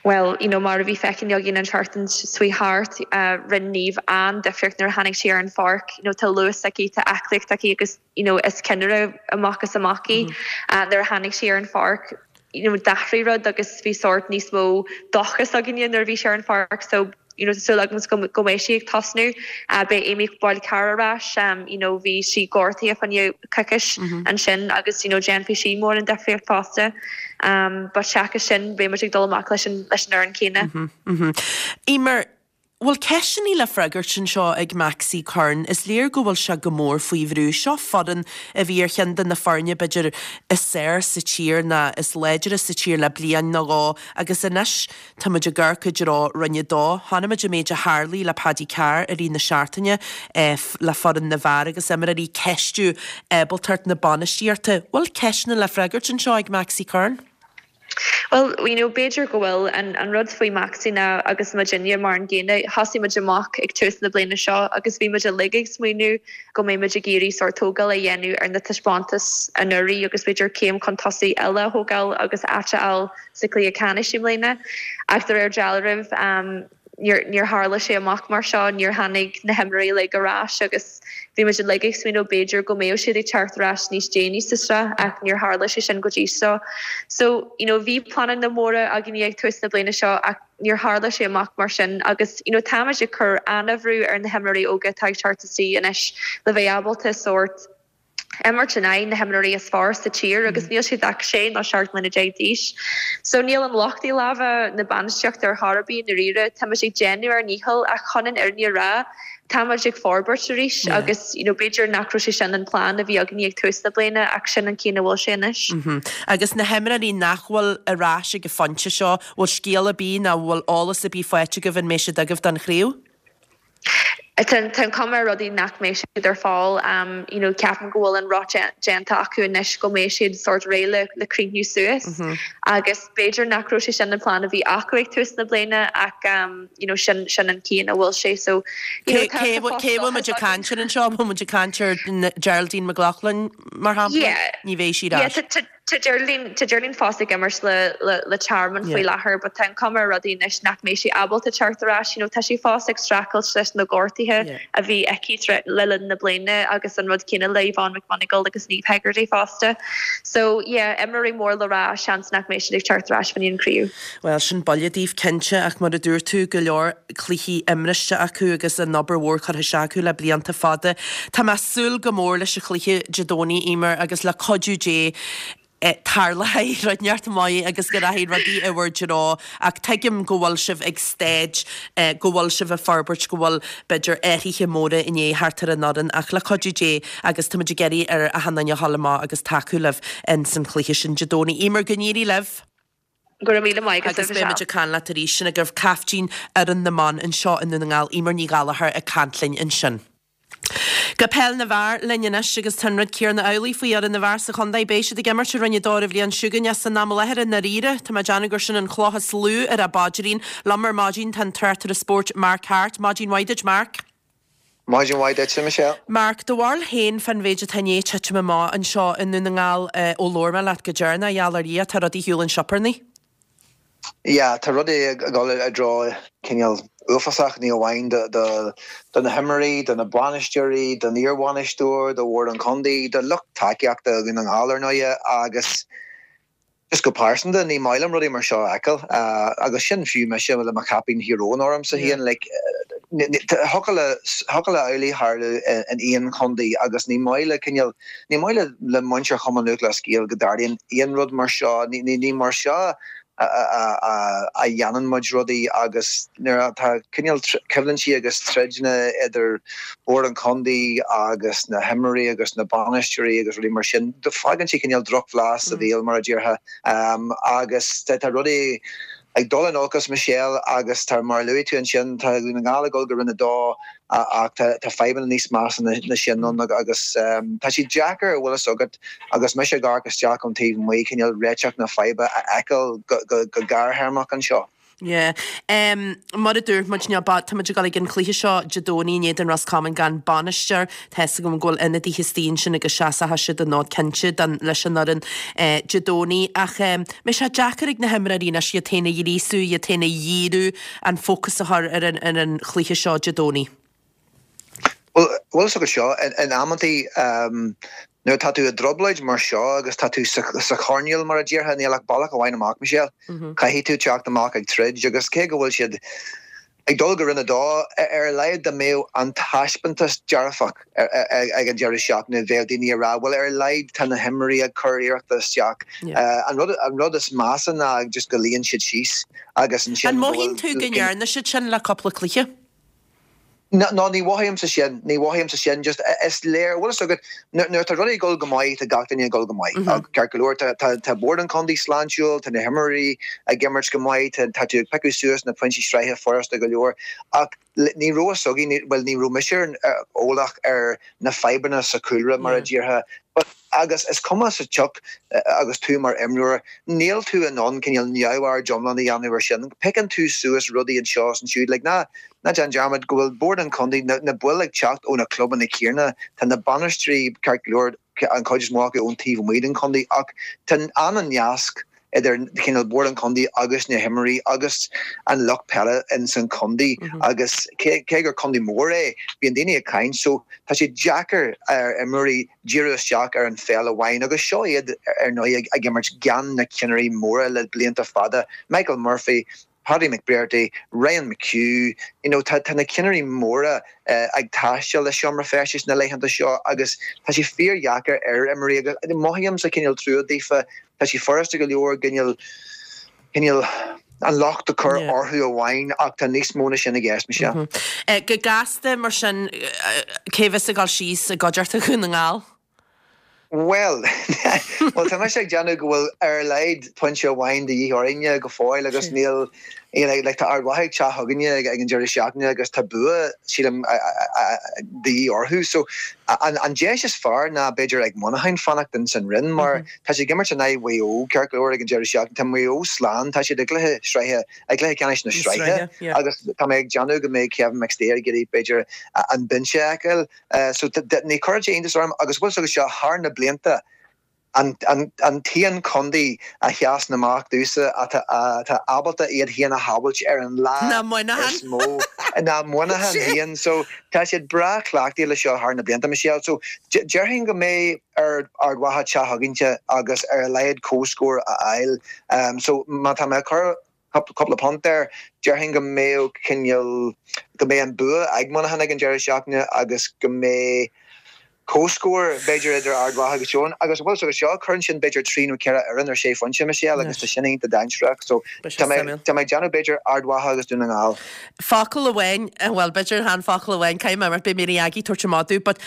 Well, you know, mar a bhí feicthe againn an tseachtain seo thart uh, rinne Niamh an-difríocht nuair a tháinig sí ar an pháirc, you know, tá luas aici tá aclaíocht aici agus you know, is ceannaire amach is amach í mm -hmm. uh, nuair a tháinig sí ar an pháirc you know, d'athraigh rud agus bhí sórt níos mó dóchas againne nuair a bhí sí ar an pháirc so you know, súil agam go go mbeidh sí ag tosnú uh, beidh Amy Boyle Carr ar ais um, you know, bhí sí gortaithe fá choinne coicís mm -hmm. ansin agus you know, déanfaidh sí mór an difríocht fosta. Um, but seachas sin beidh muid ag dul amach leis an leis an fhoireann céanna. Mm -hmm. Mm -hmm. Emer, Bhfuil ceisteanna le freagairt anseo ag Maxi Curran, is léir go bhfuil sé go mór faoi bhrú. Seo foireann a bhí ar cheann de na foirne b'fhéidir is fearr sa tír ná is láidre sa tír le bliain nó dhó agus anois tá muid ag amharc i dtreo Roinn a dó. Chonaic muid an méid a tharlaigh le Paddy Carr i rith na seachtaine le foireann na bhfear agus imreoirí ag ceistiú ábaltacht na bainistíochta. Bhfuil ceisteanna le freagairt anseo ag Maxi Curran? Well, you know, b'fhéidir go bhfuil an, an rud faoi Maxi ná agus muidinne mar an gcéanna thosaigh muid amach ag tús na bliana seo agus bhí muid uilig ag smaoineamh go mbeidh muid ag iarraidh sórt tógáil a dhéanamh ar na taispeántais anuraidh agus b'fhéidir céim chun tosaigh eile a thógáil agus áit a fháil sa chluiche ceannais i mbliana. Ach de réir dealraimh um, níor tharla sé amach mar seo, níor tháinig na himreoirí uilig ar ais agus bhí muid uilig ag smaoineamh b'fhéidir go mbeadh siad ag teacht ar ais níos déanaí sa tsraith ach níor tharla sé sin go dtí seo. So you know, bhí pleananna móra againn ag tús na bliana seo ach níor tharla sé amach mar sin agus you know, táimid ag cur an-bhrú ar na himreoirí óga atá ag teacht isteach anois le bheith ábalta sórt imirt in aghaidh na himreoirí is fearr sa tír agus níl siad ach sé nó seacht mbliana déag d'aois. So níl an locht i lámha na bainistíochta ar chor ar bith i ndáiríre, Tá muid ag déanamh ár ndícheall ach chun an fhírinne a rá, tá muid ag forbairt arís yeah. agus you know, b'fhéidir nach raibh sé sin an plean a bhí againn ag tús na bliana ach sin an cén a bhfuil sé anois. Mm -hmm. Agus na himreoirí nach bhfuil ar ais ag an phointe seo, bhfuil scéal ar bith nó bhfuil eolas ar bith faighte agaibh an mbeidh siad agaibh don chraobh? Tá an chuma ar rudaí nach mbeidh siad ar fáil um, you know, ceapaim go bhfuil an rud déanta acu anois go mbeidh siad sórt réidh le, le críochnú suas mm -hmm. agus b'fhéidir nach raibh sé sin an plean a bhí acu ag tús na bliana ach um, you know, sin, sin an cén a bhfuil sé so cé bhfuil muid ag caint anseo muid ag caint ar Geraldine McLaughlin mar shampla ní bheidh sí yeah, Tá Geraldine tá Geraldine fós ag imirt le le le Tearmann faoi láthair, but tá an chuma ar rudaí anois nach mbeidh sí ábalta teacht ar ais, you know, tá sí fós ag streachailt leis na gortuithe a bhí aici le linn na bliana agus an rud céanna le Yvonne McMonagle agus Niamh Hegarty fosta. So yeah, imreoirí mór le rá seans nach mbeidh siad ag teacht ar ais fá choinne an chraobh. Well sin buille daoibh cinnte ach mar a dúirt tú go leor cluichí imrithe acu agus an obair mhór curtha isteach acu le blianta fada. Tá mé ag súil go mór leis an chluiche Dé Domhnaigh Emer agus le cuidiú Dé tarlóidh rud inteacht maith agus go rachaidh rudaí i bhur dtreo ach tuigim go bhfuil sibh ag staid go bhfuil sibh ag forbairt go bhfuil b'fhéidir athruithe móra i ndiaidh theacht ar an fhoireann ach le cuidiú Dé agus táimid ag iarraidh ar achan duine a dhul amach agus tacú libh in san chluiche sin Dé Domhnaigh. Emer go n-éirí libh! Go raibh míle maith Agus beimid ag caint leat arís sin agaibh caiftín fhoireann na mban anseo i nDún na nGall, Emer Ní Ghallchóir ag caint linn ansin. Go peil na bhfear linn anois agus tá an rud céanna amhlaidh faoi fhoireann na bhfear sa chontae. Beidh siad ag imirt i Roinn a dó an bhliain seo chugainn as san am i láthair i ndáiríre. Tá mé ag déanamh gur sin an chloch is lú ar a bpaidrín. Liom ar maidin tá an tráchtaire spóirt Mark Harte. Maidin mhaith duit Mark. Maidin mhaith duit Michelle. Mark, do bharúil féin fán mhéid atá i ndiaidh titim amach anseo i nDún na nGall ó labhair mé leat go deireanach, a gheall ar Dhia, tá rudaí ar shiúl an sioparnaí. Yeah, tá rudaí ag dul i dtreo cineál uafásach ní amháin do do do na himreoirí, do na bainisteoirí, don iarbhainisteoir, do bhord an chontae, do lucht tacaíochta Dhún na nGall ar ndóigh agus just go pearsanta ní maith liom rudaí mar seo a fheiceáil agus sin fiú mise le mo chaipín Thír Eoghain ormsa féin like thiocfadh le thiocfadh le amhlaidh tarlú in aon chontae agus ní maith le cineál ní maith le le muintir Chumann Lúthchleas Gael go dtarlaíonn aon rud mar seo ní ní mar seo a dhéanann muid rudaí agus nuair atá cineál coimhlintí agus troideanna idir bord an chontae agus na himreoirí agus na bainisteoirí agus rudaí mar sin, fágann sé cineál drochbhlas sa bhéal mar a déarfá agus tá rudaí ag dul in olcas Michelle agus tá mar a luaigh tú ansin tá Dún na nGall ag dul go Roinn a dó ach tá fadhbanna níos measa ná sin ann agus tá sé deacair a bhfuil fhios agat agus mise ag amharc isteach ón taobh amuigh cineál réiteach na faidhbe a fheiceáil go gearrthéarmach anseo. Yeah. Um, mar a dúirt muid tá muid ag dul ag an chluiche seo Dé Domhnaigh in éadan Roscommon gan bainisteoir tá a fhios agam go bhfuil ionadaithe istigh ansin agus seasfaidh siad an fód cinnte don leis an fhoireann eh, Dé Domhnaigh ach um, mbeidh sé deacair ag na himreoirí anois iad féin a ghríosú, iad féin a dhíriú an fócas a chur ar an, ar an chluiche seo Dé Domhnaigh. Well, bhfuil a fhios agat seo in amantaí um, nuair tá tú i dtrioblóid mar seo agus tá tú sa, sa choirnéal mar a déarfá níl ach bealach amháin amach Michelle. Mm -hmm. Caithfidh tú teacht amach ag troid agus cé go bhfuil siad ag dul go roinn a dó ar a laghad dá mbeadh an taispeántas dearfach ag an deireadh seachtaine bheadh daoine ag rá well ar a laghad tá na himreoirí ag cur iarrachta isteach. An rud an rud is measa ná just go luíonn siad síos agus ansin An mothaíonn tú go ndearna siad sin le cúpla cluiche? No, ní mhothaímse sin, ní mhothaímse sin, just is léir, bhfuil a fhios agat, nuair atá rudaí ag dul go maith, tá gach duine ag dul go maith. Ceart go leor, tá bord an chontae sláintiúil, tá na himreoirí ag imirt go maith, tá tú ag piocadh suas na pointí sraithe furasta go leor, ach ní raibh a fhios againn, bhuel ní raibh mise eolach ar na fadhbanna sa chúlra mar a déarfá, but agus is cuma sa tsioc agus tú mar imreoir, níl tú in ann cineál neamhaird iomlán a dhéanamh ar sin. Piocann tú suas rudaí anseo is ansiúd, like ná ná déan dearmad go bhfuil bord an chontae, na na baill ag teacht ó na clubanna céanna, tá na bainisteoirí ceart go leor, an chuid is mó acu ón taobh amuigh den chontae ach tá an-nasc idir cineál bord an chontae agus na himreoirí agus an lucht peile ins an chontae agus cé cé gur contae mór é, bíonn daoine ag caint so tá sé deacair ar imreoirí díriú isteach ar an pheil amháin agus seo iad ar ndóigh ag imirt gan na cinnirí móra le blianta fada, Michael Murphy, Paddy McBrearty, Ryan McHugh, you know tá tá na cinnirí móra ag taisteal le seomra feistis na laethanta seo agus tá sé fíordheacair ar imreoirí agus mothaímse cineál trua daofa, tá sé furasta go leor cineál cineál an locht a chur orthu amháin ach tá níos mó ná sin i gceist, Michelle. Go gasta mar sin, cé bheas ag dul síos i gcuideachta Dhún na nGall? Bhuel, bhuel tá mise ag déanamh go bhfuil ar a laghad pointe amháin de dhíth orainne go fóill agus níl, you know, like tá Ard Mhacha ag teacht chugainne ag an deireadh seachtaine agus tá bua, sílim, de dhíth orthu. So an an deis is fearr ná b'fhéidir ag Muineachán fanacht ins an roinn mar tá siad ag imirt in aghaidh Mhaigh Eo ceart go leor ag an deireadh seachtaine. Tá Maigh Eo slán, tá siad i gcluiche sraithe, i gcluiche ceannais na sraithe agus tá mé ag déanamh go mbeidh Kevin McStay ag iarraidh b'fhéidir an binse a fheiceáil. So ní chuirfeadh sé iontas orm agus bhfuil a fhios agat seo thar na blianta an an t-aon chontae a sheasann amach domhsa atá atá ábalta iad féin a shábhailt ar an lá Ná Muineachán. is mó ná Muineachán féin. So tá siad breá cleachtaithe le seo thar na blianta, Michelle. So déarfainn go mbeidh ar Ard Mhacha teacht chugainne agus ar a laghad comhscór a fháil. So má tá mé ag cur cúpla punt air, déarfainn go mbeadh cineál, go mbeidh an bua ag Muineachán ag an deireadh seachtaine agus go mbeidh comhscór b'fhéidir idir Ard Mhacha agus Teo. Agus bhfuil a fhios agat seo, cuireann sin b'fhéidir trí nó ceithre fhoireann ar sé phointe, Michelle, agus tá sin iontach dainséarach. So tá mé, tá mé ag déanamh b'fhéidir Ard Mhacha agus Dún na nGall. Focal amháin, bhuel b'fhéidir chan focal amháin, caithfidh mé, mar beidh Mary Aggie ag tabhairt amach domh, but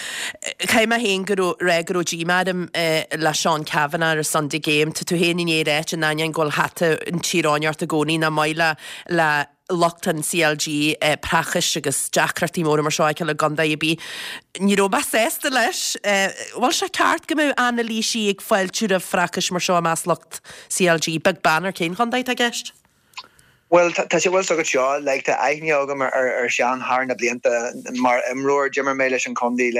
caithfidh mé féin go raibh, rá go raibh díomá orm le Seán Cavanagh ar an Sunday Game. Tá tú féin i ndiaidh a ráit in ainneoin go bhfuil hata an Tír Eoghain ort i gcónaí nach maith le le lucht an CLG praiseach agus deacrachtaí móra mar seo a fheiceáil i gcontae ar bith. Ní raibh mé sásta leis. Bhfuil sé ceart go mbeadh anailísí ag fáiltiú roimh phraiseach mar seo i measc lucht CLG, beag beann ar cén chontae atá i gceist? Bhuel, tá sé, bhfuil a fhios agat seo, like, tá aithne agam ar, ar Seán thar na blianta mar imreoir, d'imir mé leis an chontae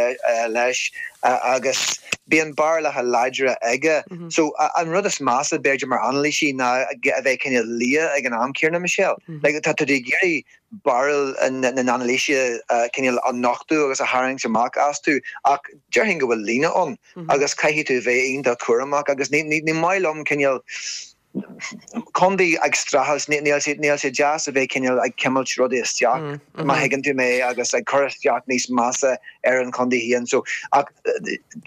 leis agus bíonn barúlacha láidre aige. So, an rud is measa, b'fhéidir, mar anailísí ná a bheith cineál liath ag an am céanna, Michelle. Like, tá tú ag iarraidh barúil na n-anailísithe cineál a nochtadh agus a tharraingt amach astu ach déarfainn go bhfuil líne ann agus caithfidh tú a bheith iontach cúramach agus ní, ní, ní maith liom cineál, contae ag streachailt, níl sé, níl sé deas a bheith cineál ag cimilt rudaí isteach, má thuigeann tú mé, agus ag cur isteach níos measa ar an chontae féin. So, ach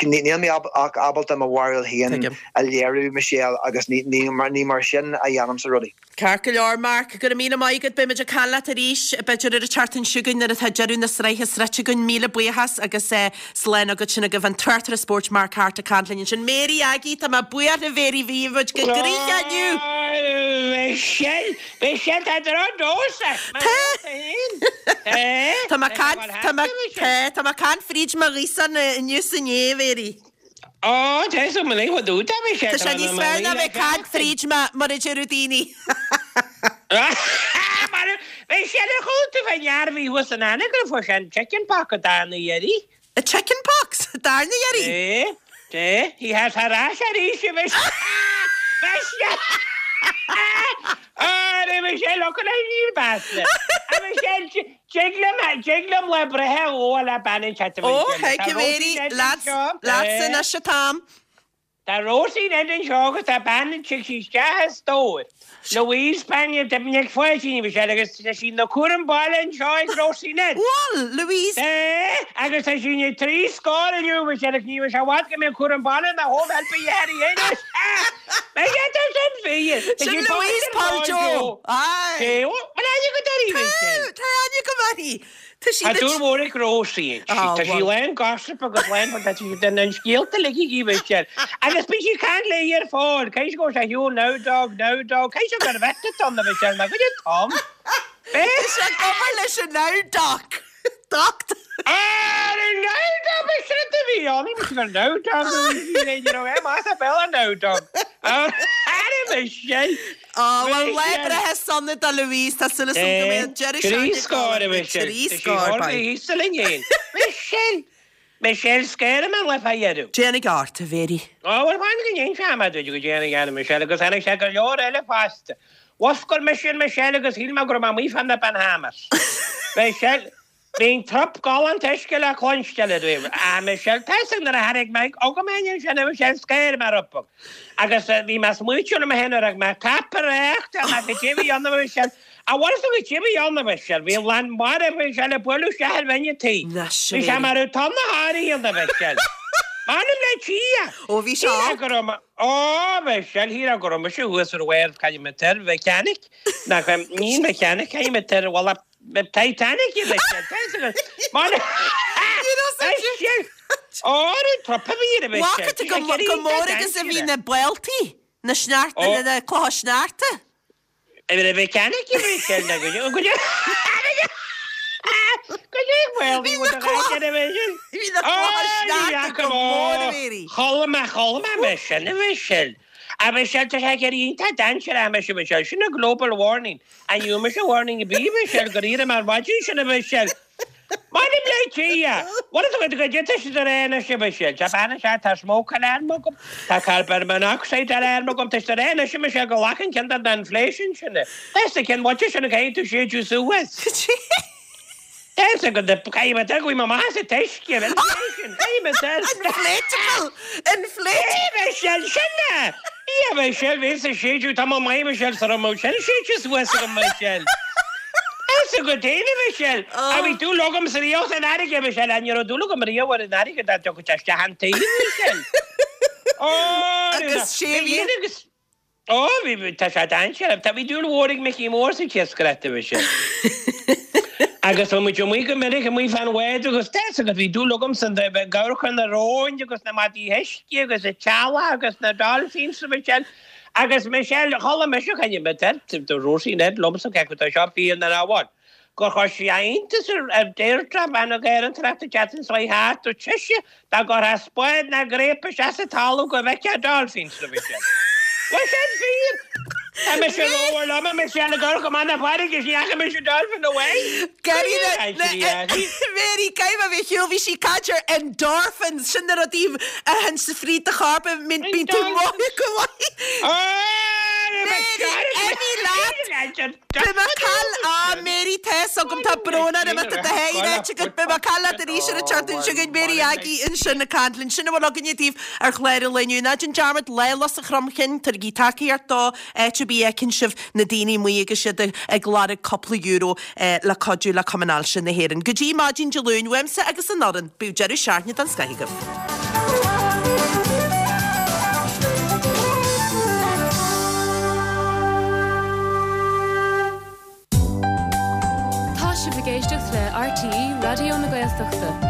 níl mé ach ábalta mo bharúil féin a léiriú, Michelle, agus ní, ní, ní mar sin a dhéanaimse rudaí. Ceart go leor, Mark, go raibh míle maith agat. Beidh muid ag caint leat arís, b'fhéidir ar an tseachtain seo chugainn nuair atá deireadh na sraithe sroichte againn. Míle buíochas agus slán agat. Sin agaibh an tráchtaire spóirt Mark Harte ag caint linn ansin. Mary Aggie, tá mé buíoch a Mhary, bhí muid go gcrích inniu! Michelle, Michelle, tá drochnós ort, mar Tá! féin. Tá! Tá mé ag caint, tá mé, tá, tá mé ag caint fríd mo ghaosán inniu is inné, a Mhary. Ó, tá fhios agam anois fá dtaobh de, Tá sé níos fearr ná bheith ag caint fríd mar a deireadh daoine. Michelle, ar chuala tú fán fhear a bhí thuas in Anagaire fuair sé an chicken pox an darna iarraidh? A chicken pox? Darna iarraidh? É, é, he has ar ais arís, a Michelle. Michelle! Á, Michelle, look at you, bastard. A Michelle, tig liom, tig liom lá breithe a ghabháil le bean an chat, a Ó, Michelle. hey, Tá go Rosie Mary, Ned lads, anseo. lads É. anois an t-am. Tá Rosie Ned anseo agus tá bean an tig sí isteach a stór. Louise Spaniel de Nic Fáiltín bhí sé agus tá sí na cúram baile anseo ag Rosie Ned. Bhuel, Louise. É, agus tá sí na trí scór inniu bhí sé agus ní bhí sé bhfad go mbeidh cúram baile na home help a dhéanamh anois. Beidh sé tá sin fíor. Tá Sin sí Louise pósta ar Paul Paul Joe. Joe. Aye. É, bhfuil aithne agat uirthi, Michelle? Tá, tá aithne agam uirthi. Tá sí Tá na dúil mhór ag Rosie. Ah, Tá sí bhuel. lán gossip agus lán tá sí den an scéalta uilig aici Michelle. Agus bíonn sí ag caint léi ar fáil. Cé go sé shiúl now dog, now dog. Cé gur bheit an na Michelle na go Tom. Tá sé ag obair leis an now doc. Doc. Ah, now dog bhí sin a bhí ann, bhí gur now dog you know, é más a bell an now dog. Ah, Michelle. Ó, well, lá Michelle. breithe sona do Louise, tá súil agam go mbeidh an deireadh Trí seachtaine scór, go Michelle. Trí Tá sí scór, thar bye. bhí thíos linn fhéin. Michelle. Michelle scair mé le fá dheireadh. Déanfaidh ort, a Mhéirí. Ó, bhuel, fan go ndéan sé mar duit go déanfaidh Anna Michelle agus tháinig sé go leor eile fosta. Mhuscail mise Michelle agus shíl mé go raibh mé amuigh fá na Bahamas. Michelle, bhí an trup galánta uisce le cluinstin i dtaobh. Ah, Michelle, tá fhios ag nuair a tháinig mé agam féin ansin, a Michelle, scair mé rompu. Agus bhí mé smaoitiúil liom féin nuair a mé tapa réachta, mé go dtí bhí ann, a Michelle. A bhfuil fhios agat cé bhí ann, a Michelle? Bhí an lán mara, a Michelle, ag bualadh isteach ar bhinn an tí. Na Bhí sé mar raibh tonn na háirithe ann, a Michelle. M'anam le Dia! Ó, bhí sé Shíl ann. go raibh mé, ó, Michelle, shíl go raibh mise thuas ar bharr Caillimh Mechanic. Nach, ní mechanic, caillim ar bhalla Titanic i Michelle. Tá fhios agat. M'anam, Michelle! Ó, an trup a bhí ar, a Michelle. Bhfaca tú go go mór agus a bhí na bailtí, na sneachta, Ó. na clocha sneachta. A bhí mechanic i Michelle, na go go Go well, Bhí na clocha Bhí na clocha sneachta go mór, a Mhéirí. Chodlaigh mé, chodlaigh mé, Michelle, a Michelle. A Michelle, tá sé ag iontach dainséarach, a Michelle, Michelle, sin a global warning. An you mise warning a bí, Michelle, gur iarraidh mar mhaidin sin, a Michelle. M'anam le Dia. What is it go dté siad ar aon sin, Michelle? Tá bean sé tá smoke alarm agam, tá carbon monoxide alarm agam, tá siad ar aon sin, Michelle, go lachan ceann den inflation sin. That's the ceann what sin a caithfidh tú séideadh suas. That's a good caithfidh mé go bhfuil maith sa t-uisce, inflation, caithfidh mé Inflatable! Inflate! Michelle, sin é! Ia, Michelle, bhí sa séideadh, tá mo maith, Michelle, sa raibh sin séideadh suas agam, Michelle. That's a good thing, Michelle. A bhí dúil agam sa riamh san fharraige, Michelle, an raibh dúil agam riamh ar an fharraige dá dtiocfadh sé isteach an taobh, Michelle. Ó, Agus sé bhí- agus Ó, bhí tá sé dainséarach. Tá bhí dúil mhór ag Mickey Mór sa iascaireacht, Michelle. Agus bhí muid amuigh go minic amuigh fán bhád agus tá fhios agat bhí dúil agam san ag amharc ar na róin agus na madaí uisce agus an t-eallach agus na dolphins, Michelle. Agus Michelle, chuala mise caint mé do Rosie Ned liomsa cé acu tá seo fíor nó nach bhfuil. Gur chuir sí iontas ar Deirdre bean na gCaorach an tseachtain seo thart dúirt sise dá gcuirfeá spád ná gréip isteach sa talamh go bhfeicfeá dolphins, Michelle. Bhuel sin fíor! Tá mise rómhór liom, a Michelle, ag amharc amach na farraige is ní fhaca mise dolphin amháin. Gary Mary Caithfidh mé bheith ar shiúl bhí sí ag caint ar endorphins sin na rudaí a théann sa fríd do chorp a mbíonn bíonn tú maith go maith. Mary, imigh leat! Beidh mé ag cail á Mary tá fhios agam tá brón orm tá do sháith ráite agat beidh mé ag cail leat arís ar an tseachtain seo chugainn Mary Aggie ansin ag caint linn sin a bhfuil againne daoibh ar chlár an lae inniu. Ná déan dearmad Lá Lus an Chromchinn tabhairigí tacaíocht dó áit ar bith a fheiceann sibh na daoine amuigh agus iad ag lorg cúpla euro le cuidiú le Cumann Ailse na hÉireann. Go dtí maidin Dé Luain uaimse agus an fhoireann, bíodh deireadh seachtaine den scoth agaibh. Tá sibh ag éisteacht le RTÉ Raidió na Gaeltachta.